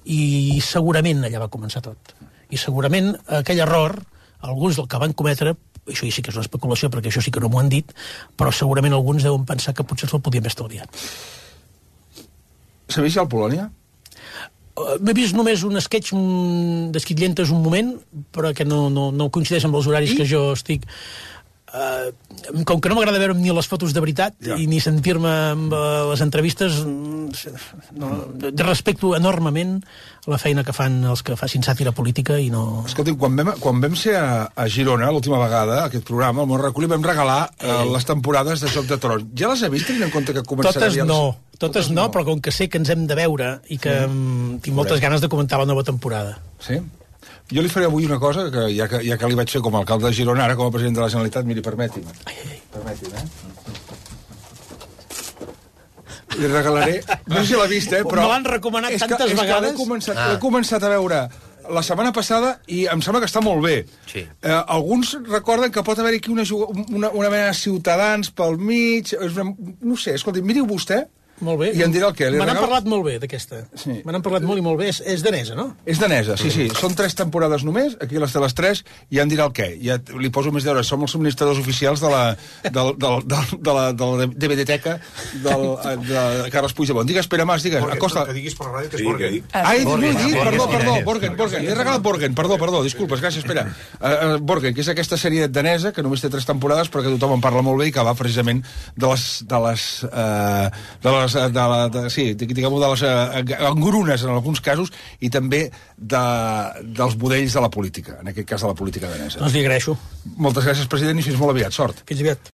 I segurament allà va començar tot. I segurament aquell error, alguns del que van cometre, això sí que és una especulació, perquè això sí que no m'ho han dit, però segurament alguns deuen pensar que potser se'l podien haver estalviat. S'ha vist ja el Polònia? M'he vist només un sketch d'esquitllentes un moment, però que no coincideix amb els horaris que jo estic... com que no m'agrada veure ni les fotos de veritat i ni sentir-me amb les entrevistes, respecto enormement la feina que fan els que facin sàtira política i no... Escolti, quan vam ser a Girona l'última vegada, aquest programa, al Món Recollit, vam regalar les temporades de Joc de Trons. Ja les he vist, tenint en compte que començarà... Totes no, però com que sé que ens hem de veure i que tinc moltes ganes de comentar la nova temporada. Sí? Jo li faré avui una cosa, que ja que li vaig fer com a alcalde de Girona, ara com a president de la Generalitat, miri, permeti'm. Permeti'm, Li regalaré... No sé si l'ha vist, però... Me l'han recomanat tantes vegades. L'he començat a veure la setmana passada i em sembla que està molt bé. Sí. Alguns recorden que pot haver aquí una mena de Ciutadans pel mig... No sé, escolti, miri vostè, Molt bé. I em dirà el què? Me n'han parlat molt bé, d'aquesta. Sí. Me n'han parlat molt i molt bé. És danesa, no? És danesa, sí. Són 3 temporades només, aquí les de les 3, i ja em dirà el què. Ja li poso més d'hora. Som els subministradors oficials de la DVD-teca de Carles Puigdemont. Digues, Pere Mas, digues. Acosta. Que diguis per la ràdio que és Borgen. Perdó, Borgen. He regalat Borgen, perdó, disculpes, gràcies, Pere. Borgen, que és aquesta sèrie danesa, que només té 3 temporades, però que tothom en parla molt bé i que va precisament de les engrunes en alguns casos i també dels budells de la política, en aquest cas de la política danesa. Doncs li agraeixo. Moltes gràcies, president, i fins molt aviat. Sort. Fins aviat.